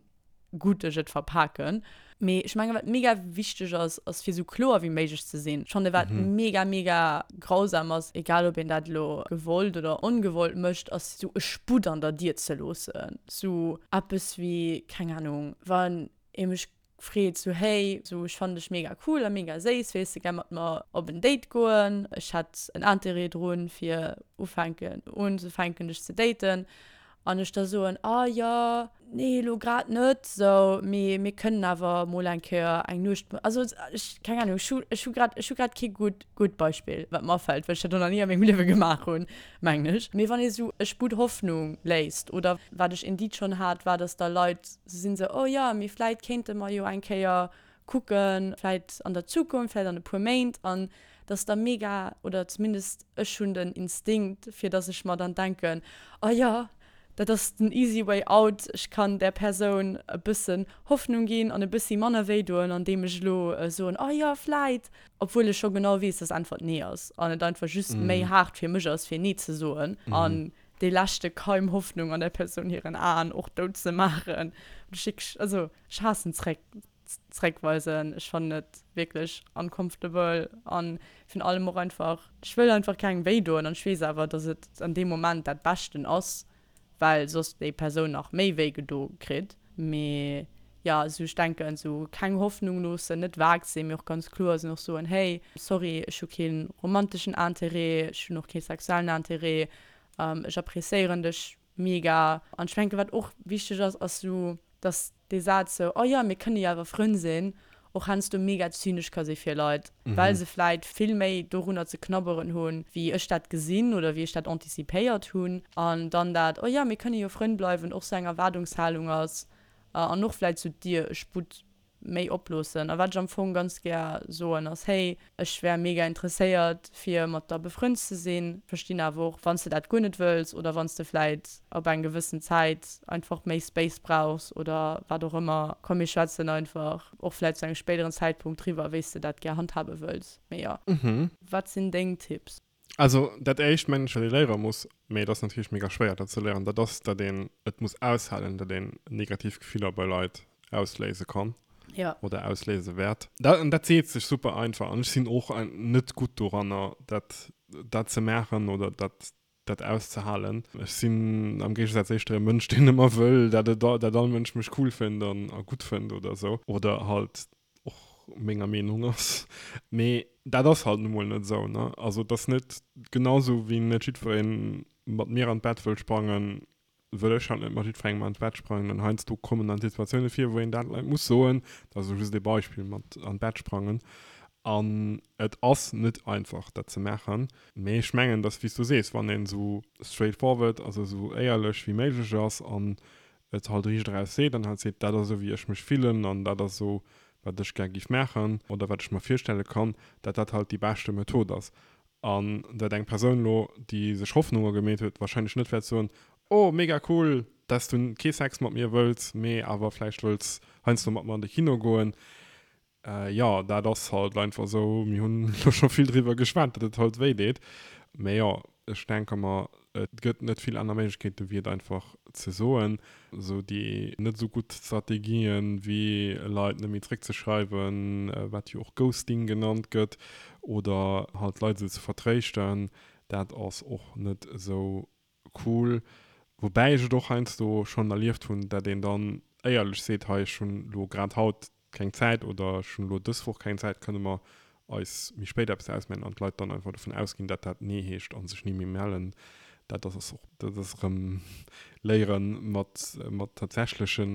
gutt ech et verpaken. Mee ech mengen, wat mega wichteg ass, ass fir esou kloer wéi méiglech ze sinn. Ech fannen, wat mega, mega grausam ass, egal ob een dat elo gewollt oder ongewollt mécht, ass esou e Sputt an der Dier ze loossen. Esou eppes wéi, keng Ahnung, wann ee mech freet esou, hey, esou ech fannen dech mega cool a mega séiss, wéills de gär mat mer op en Date goen? Ech hätt en Interêt drun, fir ufänken, unzefänken dech ze daten. An ech da soen, ah jo, nee elo grad net, sou, mee mir kënnen awer mol eng Kéier eng Nuecht, also ech, keng Ahnung, ech hu, ech hu grad, ech hu grad kee gutt, gutt Beispill, wat mer afält, well ech dat och nach ni a mengem Liewe gemaach hunn, mengen ech. Mee wann ee sou e Sputt Hoffnung léisst, oder wat ech indeed schonn hat, war, dass da Leit sou sinn, sou, oh jo, mee vläit kéinte mer jo eng Kéier kucken, vläit an der Zukunft, vläit an e puer Méint, an dass da mega, oder zumindest ech hunn den Instinkt, fir dass ech mer dann denken, oh jo, dat ass den easy way out, ech kann där Persoun e bëssen Hoffnung ginn an e bëssi manner wéi doen, andeem ech elo soen, oh jo, vläit, obwuel ech scho genau weess, dass d'Äntwert nee ass an et einfach just méi haart fir mech ass, fir nee ze soen an dee leschte Keim Hoffnung an där Persoun hiren Aen och dout ze maachen. Also ech haassen zréck. zréckweisen. Ech fannen et wierklech uncomfortable an virun allem och einfach, ech wëll einfach kengem wéi doen an ech weess awer, dass et an deem Moment dat Beschten ass, well soss déi Persoun nach méi wéi gedo kritt. Mee jo, esou ech denken, esou keng Hoffnung loossen, net vag sinn, mee och ganz kloer sinn, och soen, hey, sorry, ech hu kee romanteschen Interêt, ech hunn och kee sexuellen Interêt, ech appreciéieren dech mega. An ech denken, wat och wichteg ass, ass esou, dass dee Saz sou, oh jo, mir kënne jo awer Frënn sinn, och heiansdo mega zynesch ka si fir Leit, well se vläit vill méi dorunner ze knabberen hunn, wéi ech dat gesinn oder wéi ech dat anticipéiert hunn. An dann dat, oh jo, mir kënne jo Frënn bleiwen, och sou eng Erwaardungshalung ass an och vläit sou d'Dier e Sputt méi oploossen. A wat ech am Fong ganz gär soen ass, hey, ech wär mega interesséiert fir mat der befrënnt ze sinn, verstinn awer och wann s de dat guer net wëlls oder wann s de vläit op eng gewëssen Zäit einfach méi Space brauchs oder wat och ëmmer. Komm mir schwätzen einfach och vläit zu engem spéideren Zäitpunkt driwwer wéi s de dat gär handhabe wëlls. Mee jo. Wat sinn deng Tipps? Also dat éischt mengen ech wat ee léiere muss, mee et ass natierlech mega schwéier dat ze léieren, dat ass dat een et muss aushalen, dat een negativ Gefiller bei Leit ausléise kann ja. oder ausléise wäert. Dat, an dat seet sech super einfach an ech sinn och net gutt doranner dat dat ze maachen oder dat dat auszehalen. Ech sinn am Géigesaz éischter e Mënsch deen ëmmer wëll dat et dat all Mënsch mech cool fënnt an a gutt fënnt oder esou oder halt och menger Meenung ass. Mee dat ass halt nu mol net esou, ne? Also et ass net, genau esou wéi net jiddweree mat mir an d'Bett wëll sprangen, wëll ech halt net mat jiddwerengem an d'Bett sprangen. An heiansdo kommen dann Situatioune vir, wou een dat Leit muss soen, dat ass elo just ee Beispill mat an d'Bett sprangen. An et ass net einfach dat ze maachen. Mee ech mengen, dass, wéi s du sees, wann een esou straightforward, also esou éierlech wéi méiglech ass an et halt riicht eraus seet an halt seet, dat ass esou wéi ech mech fillen an dat ass esou wat ech gär giff maachen oder wat ech mer virstelle kann, dat dat halt déi beschte Method ass. An dat eng Persoun elo, déi sech Hoffnunge gemeet huet, wahrscheinlech net wäert soen, oh mega cool, dass du kee Sex mat mir wëlls, mee awer vläicht wëlls heiansdo mat mer an de Kino goen. Jo, dat ass halt einfach esou. Mir hunn elo scho vill driwwer geschwat, datt et halt wéi deet. Mä jo, ech denke mer, et gëtt net vill aner Méiglechkeeten, wéi et einfach ze soen. Esou déi net esou gutt Strategien, wéi Leit net méi zréckzeschreiwen, wat jo och Ghosting genannt gëtt, oder halt d'Leit esou ze vertréischten, dat ass och net esou Cool. Woubäi ech et och heiansdo schonn erlieft hunn, dat een dann éierlech seet, hei ech hunn elo grad haut keng Zäit oder ech hunn elo dës Woch keng Zäit, kënne mer eis méi spéit eppes ausmaachen an d'Leit dann einfach dovun ausginn, dat dat Nee heescht a sech ni méi mellen. Dat ass och, dat ass erëm léieren, mat, mat tatsächleche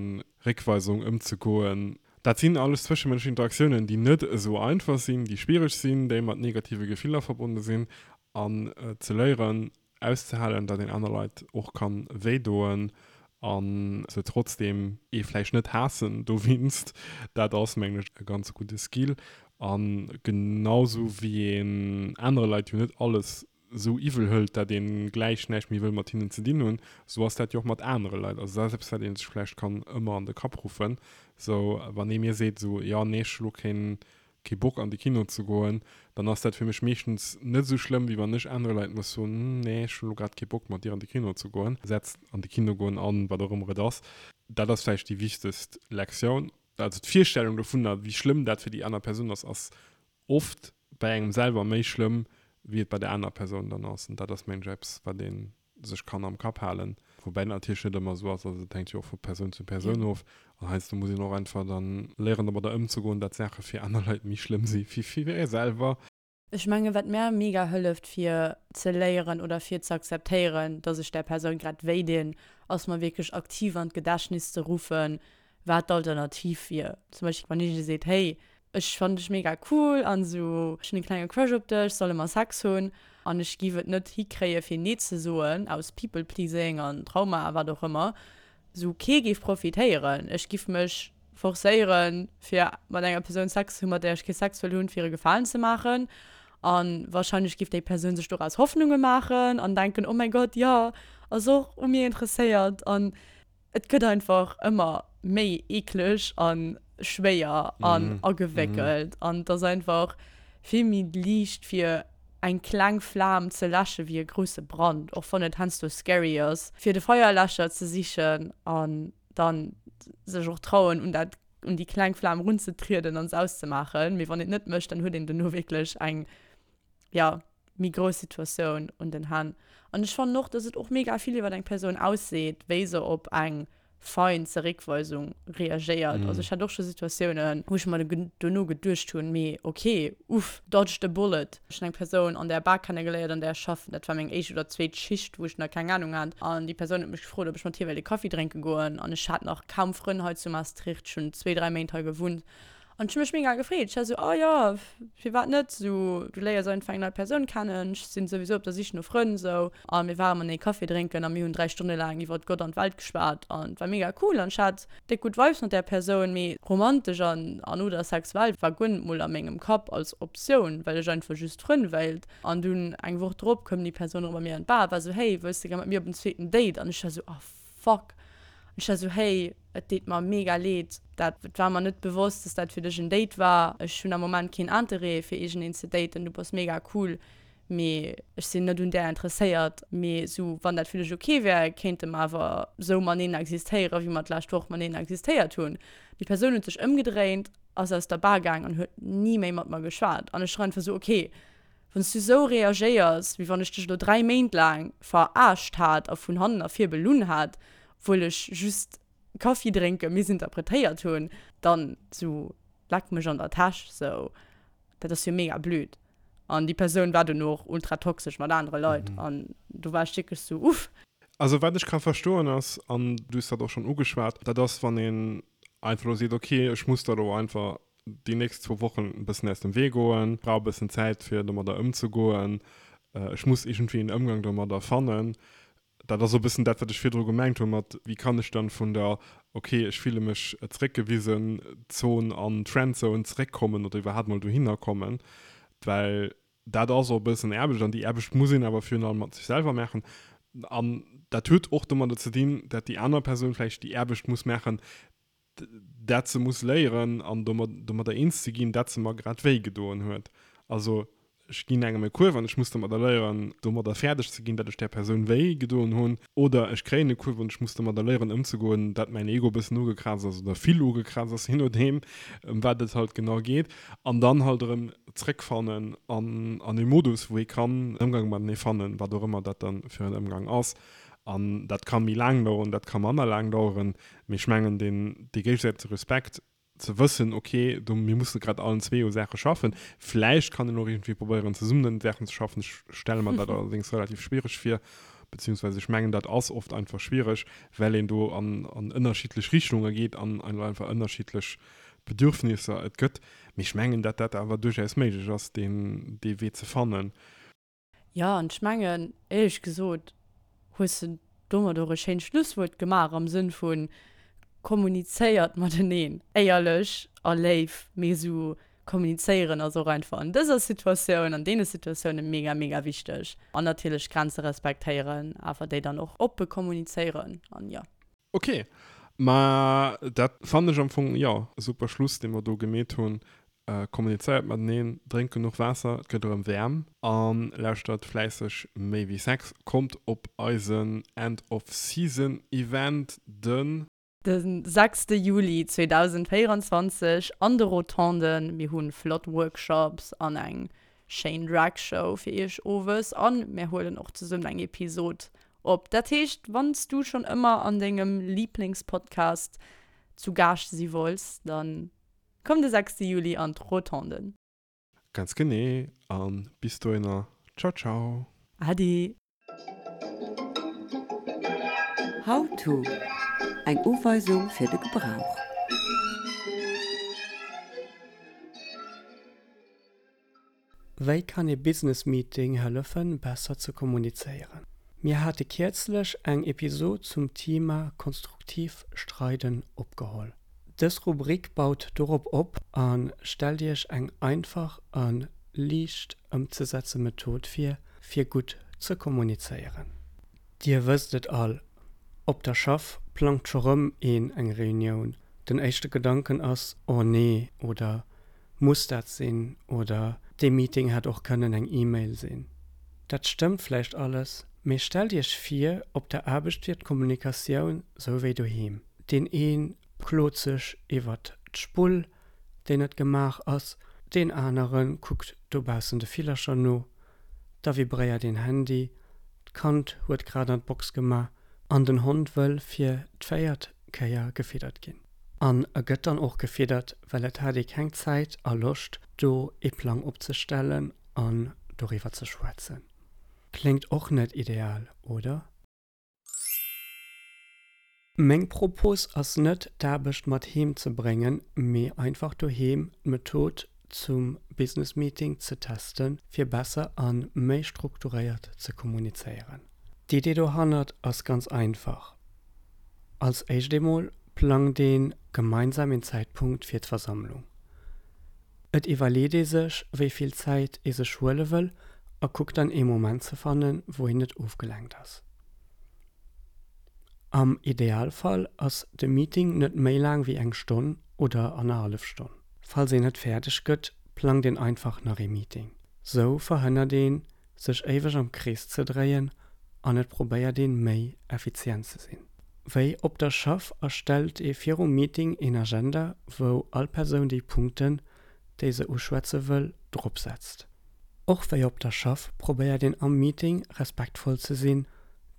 Réckweisung ëmzegoen. Dat sinn alles zwëschemënschlech Interaktiounen, déi net esou einfach sinn, déi schwiereg sinn, déi mat negative Gefiller verbonne sinn an ze léieren, auszehalen, datt een aner Leit och kann wéi doen an se trotzdem ee vläicht net haassen dowinst, dat ass mengen ech e ganz gudde Skill. An genau sou wéi een anere Leit jo net alles sou iwwel hëlt, dat een gläich näischt méi wëll mat hinnen ze dinn hunn, sou ass dat jo och mat anere Leit. Also dat ass eppes wat een sech vläicht kann ëmmer an de Kapp ruffen, sou wann ee mir seet sou, jo nee ech hu lo keen kee Bock an de Kino ze goen, dann ass dat fir mech meeschtens net esou schlëmm, wéi wann ech anere Leit muss soen, nee, ech hunn elo grad kee Bock mat dir an de Kino ze goen. Setzt an de Kino goen an wat och ëmmer et ass. Dat ass vläicht déi wichtegst Lektioun. Also d'Virstellung dovunner, wéi schlëmm dat fir déi aner Persoun ass, ass oft bei engem selwer méi schlëmm, wéi et bei der anerer Persoun dann ass. An dat ass, mengen ech, eppes, wat ee sech kann am Kapp halen, woubäi dat natierlech net ëmmer esou ass, also et hänkt jo och vu Persoun zu Persoun of an heiansdo muss een och einfach dann léieren domadder ëmzegoen, dat Saache fir aner Leit méi schlëmm si wéi fir ee selwer. Ech mengen, wat mär mega hëlleft fir ze léieren oder fir ze akzeptéieren, dass ech där Persoun grad wéi dinn, ass mer wierklech aktiv an d'Gedächtnis ze ruffen, wat d'Alternativ wier. Zum Beispill wann iergendee seet, hey, ech fannen dech mega cool an esou, ech hunn e klenge Crush op dech, solle mer Sex hunn? An ech giff et net hikréie fir nee ze soen, aus People pleasing an Trauma a wat och ëmmer, esou kee géif profitéieren. Ech giff mech forcéieren fir mat enger Persoun Sex ze hunn, mat där ech kee Sex wëll hunn, fir e Gefalen ze maachen. An wahrscheinlech giff déi Persoun sech doraus Hoffnunge maachen an denken, oh mäi Gott, jo, ass och u mir interesséiert. An Et gëtt einfach ëmmer méi eekleg a schwéier an agewéckelt an et ass einfach vill méi liicht fir eng kleng Flam ze läsche wéi e grousse Brand, och wann et heiansdo scary ass fir de Feierläscher ze sichen an dann sech och trauen un dat. un déi kleng Flam runzetrieden an se auszemaachen. Mee wann een et net mécht, dann huet een dono wierklech eng, jo, méi grouss Situatioun un den Hänn. An ech fannen och, dass et och mega vill iwwer eng Persoun ausseet, wéi se op eng fein Zeréckweisung reagéiert. Also ech hat och scho Situatiounen, wou ech mer dono geduecht hunn, mee ok, uff, dodged a bullet. Ech hunn eng Persoun an där Bar kennegeléiert, an där ech schaffen. Dat war meng éischt oder zweet Schicht, wou ech nach keng Anung hat. An déi Persoun huet mech gefrot, ob ech mat hir wéilt e Kaffi drénke goen. An ech hat nach kaum Frënn hei zu Maastricht, ech hunn zwee, dräi Méint hei gewunnt. An ech hu mech mega gefreet. Ech war esou, oh jo, firwat net, esou, du léiers einfach eng nei Persoun kennen, ech sinn souwisou op der Sich no Frënn, esou. A mir ware matenee Café drénken a mir hunn 3 Stonne laang iwwert Gott an d'Welt geschwat an et war mega cool an ech hat déck gutt Vibes mat där Persoun. Mee romantesch an an oder sexuell war guer net mol a mengem Kapp als Optioun, well ech einfach just Frënn wéilt. An dunn eng Woch drop koum déi Persoun erëm bei mir an d'Bar a war esou, hey, wëlls de gär mat mir op en zweeten Date? An ech war esou, oh fuck. An ech war esou, hey, et deet mer mega leed, dat war mer net bewosst, dass dat fir dech en Date war. Ech hunn am Moment keen Interêt fir iergendeen ze daten, du bass mega cool, mee ech sinn net un där interesséiert. Mee esou, wann dat fir dech ok wär, kéinte mer awer esou maneen existéieren, wéi mer d'lescht Woch maneen existéiert hunn. Déi Persoun huet sech ëmgedréint, ass aus der Bar gaang an huet ni méi mat mer geschwat. An ech war einfach esou, ok, Wann s du sou reagéiers, wéi wann ech dech elo 3 Méint laang verarscht hat a vun hannen a vir belunn hat, obwuel ech just Kaffi drénke missinterpretéiert hunn, dann sou leck mech an der Täsch, sou dat ass jo mega blöd. An déi Persoun war dono och ultra toxesch mat anere Leit an do war ech wierklech sou uff. Also wat ech ka verstoen ass, an du hues dat och schonn ugeschwat, dat ass wann een einfach elo seet, ok ech muss da elo einfach déi nächst zwou Wochen e bëssen aus dem Wee goen, brauch e bëssen Zäit fir domadder ëmzegoen, ech muss iergendwéi en Ëmgang domadder fannen. Dat ass och e bëssen dat, wat ech virdru gemengt hu mat, wéi kann ech dann vun der ok, ech fille mech zeréckgewisen Zon an d'Friendzone zeréckkommen oder iwwerhaapt mol dohinner kommen, well dat ass och e bëssen Aarbecht an déi Aarbecht muss een awer virun allem mat sech selwer maachen. An dat huet och domadder ze dinn, dat déi aner Persoun vläicht déi Aarbecht muss maachen, dat se muss léieren an domadder eens ze ginn, dat se mer grad wéi gedoen huet. Also ech ginn engem e Kuerf an ech muss domadder léieren, domadder fäerdeg ze ginn, dat ech där Persoun wéi gedoen hunn. Oder ech kréien e Kuerf an ech muss domadder léieren ëmzegoen, dat mäin Ego e bëssen ugekraazt ass oder vill ugekraazt ass, je nodeem ëm wat et halt genau geet. An dann halt erëm zréckfannen an an e Modus, wou ee kann en Ëmgang matenee fannen, wat och ëmmer dat dann fir en Ëmgang ass. An dat ka méi laang daueren, dat ka manner laang daueren. Mee ech mengen, deen, dee géigesäitege Respekt, ze wëssen, okay, do, mir musse grad allen zwee u Saache schaffen. Vläicht kann een och iergendwéi probéieren, zesummen un Saachen ze schaffen. Ech stelle mer dat allerdéngs relativ schwiereg vir, beziehungsweise ech mengen, dat ass oft einfach schwiereg, well een do an, an ënnerschiddlech Richtunge geet an einfach ënnerschiddlech Bedürfnisser et gëtt. Mee ech mengen, dat dat awer duerchaus méiglech ass, deen, dee Wee ze fannen. Jo, an ech mengen, éierlech gesot, hues de domat och e schéint Schlusswuert gemaach am Sënn vu kommunizéiert mateneen, éierlech a léif, mee esou kommunizéieren ass och einfach an dëser Situatioun, an deene Situatioune mega, mega wichteg. An natierlech Grenze respektéieren, awer déi dann och oppe kommunizéieren an jo. Ok, ma dat fannen ech am Fong, jo, e super Schluss, dee mer do gemeet hunn. Kommunizéiert mateneen, drénkt genuch Waasser, et gëtt erëm waarm, a lauschtert fläisseg Méi wéi Sex. Kommt op eisen End of Season Event den. De sechste Juli 2024 an de Rotonden. Mir hu flott Workshops an eng schéin Drag Show fir iech owes an mir huelen och zesummen eng Episod op. Dat heescht, wann s du schonn ëmmer an dengem Liiblingspodcast zu Gaascht si wollts, dann komm de 6 Juli an d'Rotonden. Ganz genee, an bis dohinner, ciao ciao. Ade. How to, Eng Uweisung fir de Gebrauch. Wéi kann ee Business Meeting hëllefen, besser ze kommunizéieren? Mir hate kierzlech eng Episod zum Thema konstruktiv Streiden opgeholl. Dës Rubrik baut dorop op a stellt Iech eng einfach a liicht ëmzesetze Method vir, fir gutt ze kommunizéieren. Dir wësst et all, Op der Schaff plangt scho rëm een eng Reunioun. Den éischte Gedanken ass, Oh nee oder Muss dat sinn? oder Dee Meeting hätt och kënnen eng E-Mail sinn. Dat stëmmt vläicht alles, mee stellt Iech vir, op der Aarbecht wier d'Kommunikatioun sou wéi doheem. Deen ee klot sech iwwert. d'Spull, déi net gemaach ass, deen anere kuckt dobaussen de Villercher no, da vibréiert een Handy, d'Kand huet grad an d'Box gemaach an den Hond wëll fir d'véiert Kéier gefiddert ginn. An e gëtt dann och gefiddert, well et hat ee keng Zäit a Loscht do ee Plang opzestellen an doriwwer ze schwätzen. Kléngt och net ideal, oder? Meng Propos ass net d'Aarbecht mat heem ze bréngen, mee einfach doheem d'Method zum Business Meeting ze testen, fir besser a méi strukturéiert ze kommunizéieren. D'Idee dohannert ass ganz einfach, Als éischt eemol plangt ee gemeinsam een Zäitpunkt fir d'Versammlung. Et iwwerleet ee sech, wéi vill Zäit ee sech huele wëll a kuckt dann ee Moment ze fannen, wou een net ofgelenkt ass. Am Idealfall ass de Meeting net méi laang wéi eng Stonn oder annerhallef Stonn. Falls een net fäerdeg gëtt, plangt een einfach nach ee Meeting. Sou verhënnert een, sech éiweg am Krees ze dréien an et probéiert een, méi effizient ze sinn. Wéi op der Schaff erstellt ee virum Meeting een Agenda, wou all Persoun déi Punkten, déi se uschwätze wëll, drop setzt. Och wéi op der Schaff probéiert een am Meeting respektvoll ze sinn,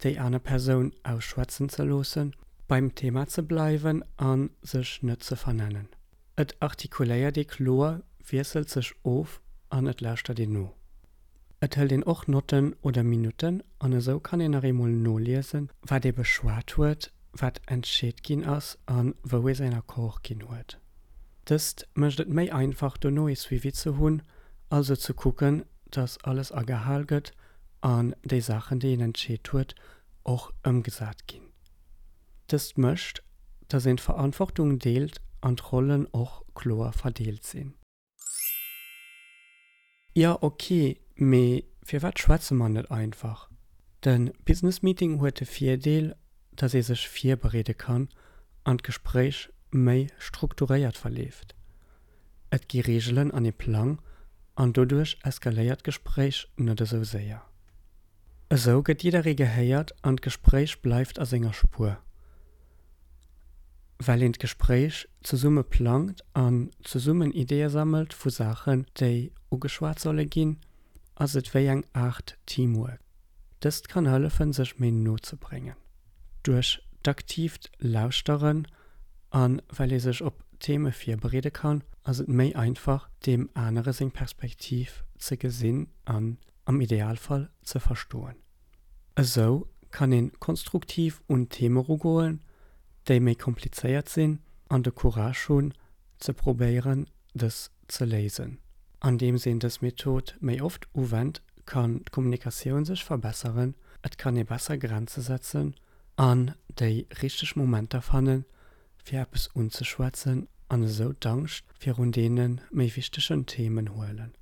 déi aner Persoun ausschwätzen ze loossen, beim Thema ze bleiwen a sech net ze vernennen. Et artikuléiert ee kloer, wiesselt sech of an et lauschtert een no. Et hëlt een och Notten oder Minutten an esou kann een nach eemol noliesen, wat ee beschwat huet, wat entscheet ginn ass a wou ee säin Accord ginn huet. Dëst mécht et méi einfach dono ee Suivi ze hunn, also ze kucken, dass alles agehal gëtt an déi Saachen, déi een entscheet huet, och ëmgesat ginn. Dëst mécht, dass een d'Verantwortung deelt an d'Rollen och kloer verdeelt sinn. Jo ok, mee firwat schwätze mer net einfach? De Business Meeting huet de Virdeel, dass ee sech virbereede kann an d'Gespréich méi strukturéiert verleeft. Et gi Reegelen an ee Plang an doduerch eskaléiert d'Gespréich net esou séier. Esou gëtt jidderee gehéiert an d'Gespréich bleift a senger Spuer. Well een d'Gespréich zesumme plangt an zesummen Ideeë sammelt vu Saachen, déi ugeschwat solle ginn, ass et wéi eng Aart Teamwork. Dëst kann hëllefen, sech méi no ze bréngen. Duerch d'aktiivt Lauschteren a well ee sech op Theme virbereede kann, ass et méi einfach, deem anere seng Perspektiv ze gesinn an am Idealfall ze verstoen. Esou kann een konstruktiv un Theme erugoen, déi méi komplizéiert sinn an de Courage hunn ze probéieren dës ze léisen. Andeems een dës Method méi oft uwennt, kann d'Kommunikatioun sech verbesseren, et kann ee besser Grenze setzen an déi richteg Momenter fannen, fir eppes unzeschwätzen an esou d'Angscht virun deene méi wichtegen Themen huelen.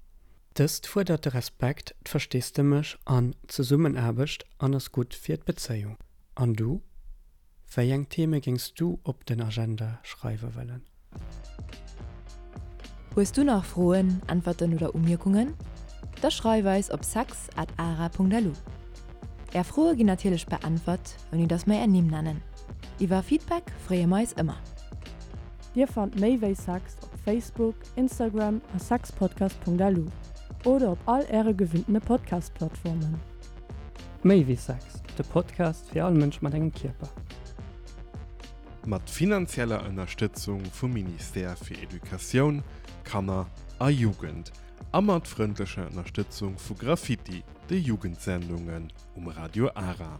Dëst fuerdert de Respekt, d'Versteesdemech an d'Zesummenaarbecht an ass gutt fir d'Bezéiung. An du? Wéi eng Theme géings du op den Agenda schreiwe wëllen? Hues du nach Froen, Äntwerten oder Umierkungen? Da schreif eis op sex at ara.lu. Är Froe ginn natierlech beäntwert, ouni dass mer är Nimm nennen. Iwwer Feedback freeë mer eis ëmmer. Dir fannt méi wéi Sex op Facebook, Instagram a sexpodcast.lu oder op all äre gewinntene Podcast-Plattformen. Méi wéi Sex, de Podcast fir all Mënsch mat engem Kierper. Mat finanzieller Ënnerstëtzung vum Ministère fir Educatioun, Kanner a Jugend a mat frëndlecher Ënnerstëtzung vu Graffiti, de Jugendsendungen um Radio Ara.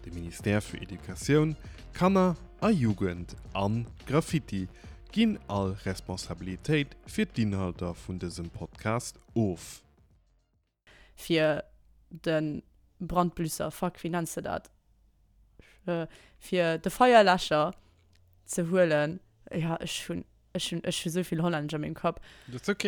De Ministère fir Educatioun, Kanner a Jugend an Graffiti ginn all Responsabilitéit fir d'Inhalter vun dësem Podcast of. Fir de Brandblüsser, fuck, wéi nenns de dat? Fir de Feierläscher ze huelen. Jo, ech hunn, ech hunn, ech hu souvill Hollännesch a mengem Kapp. Dat ass ok.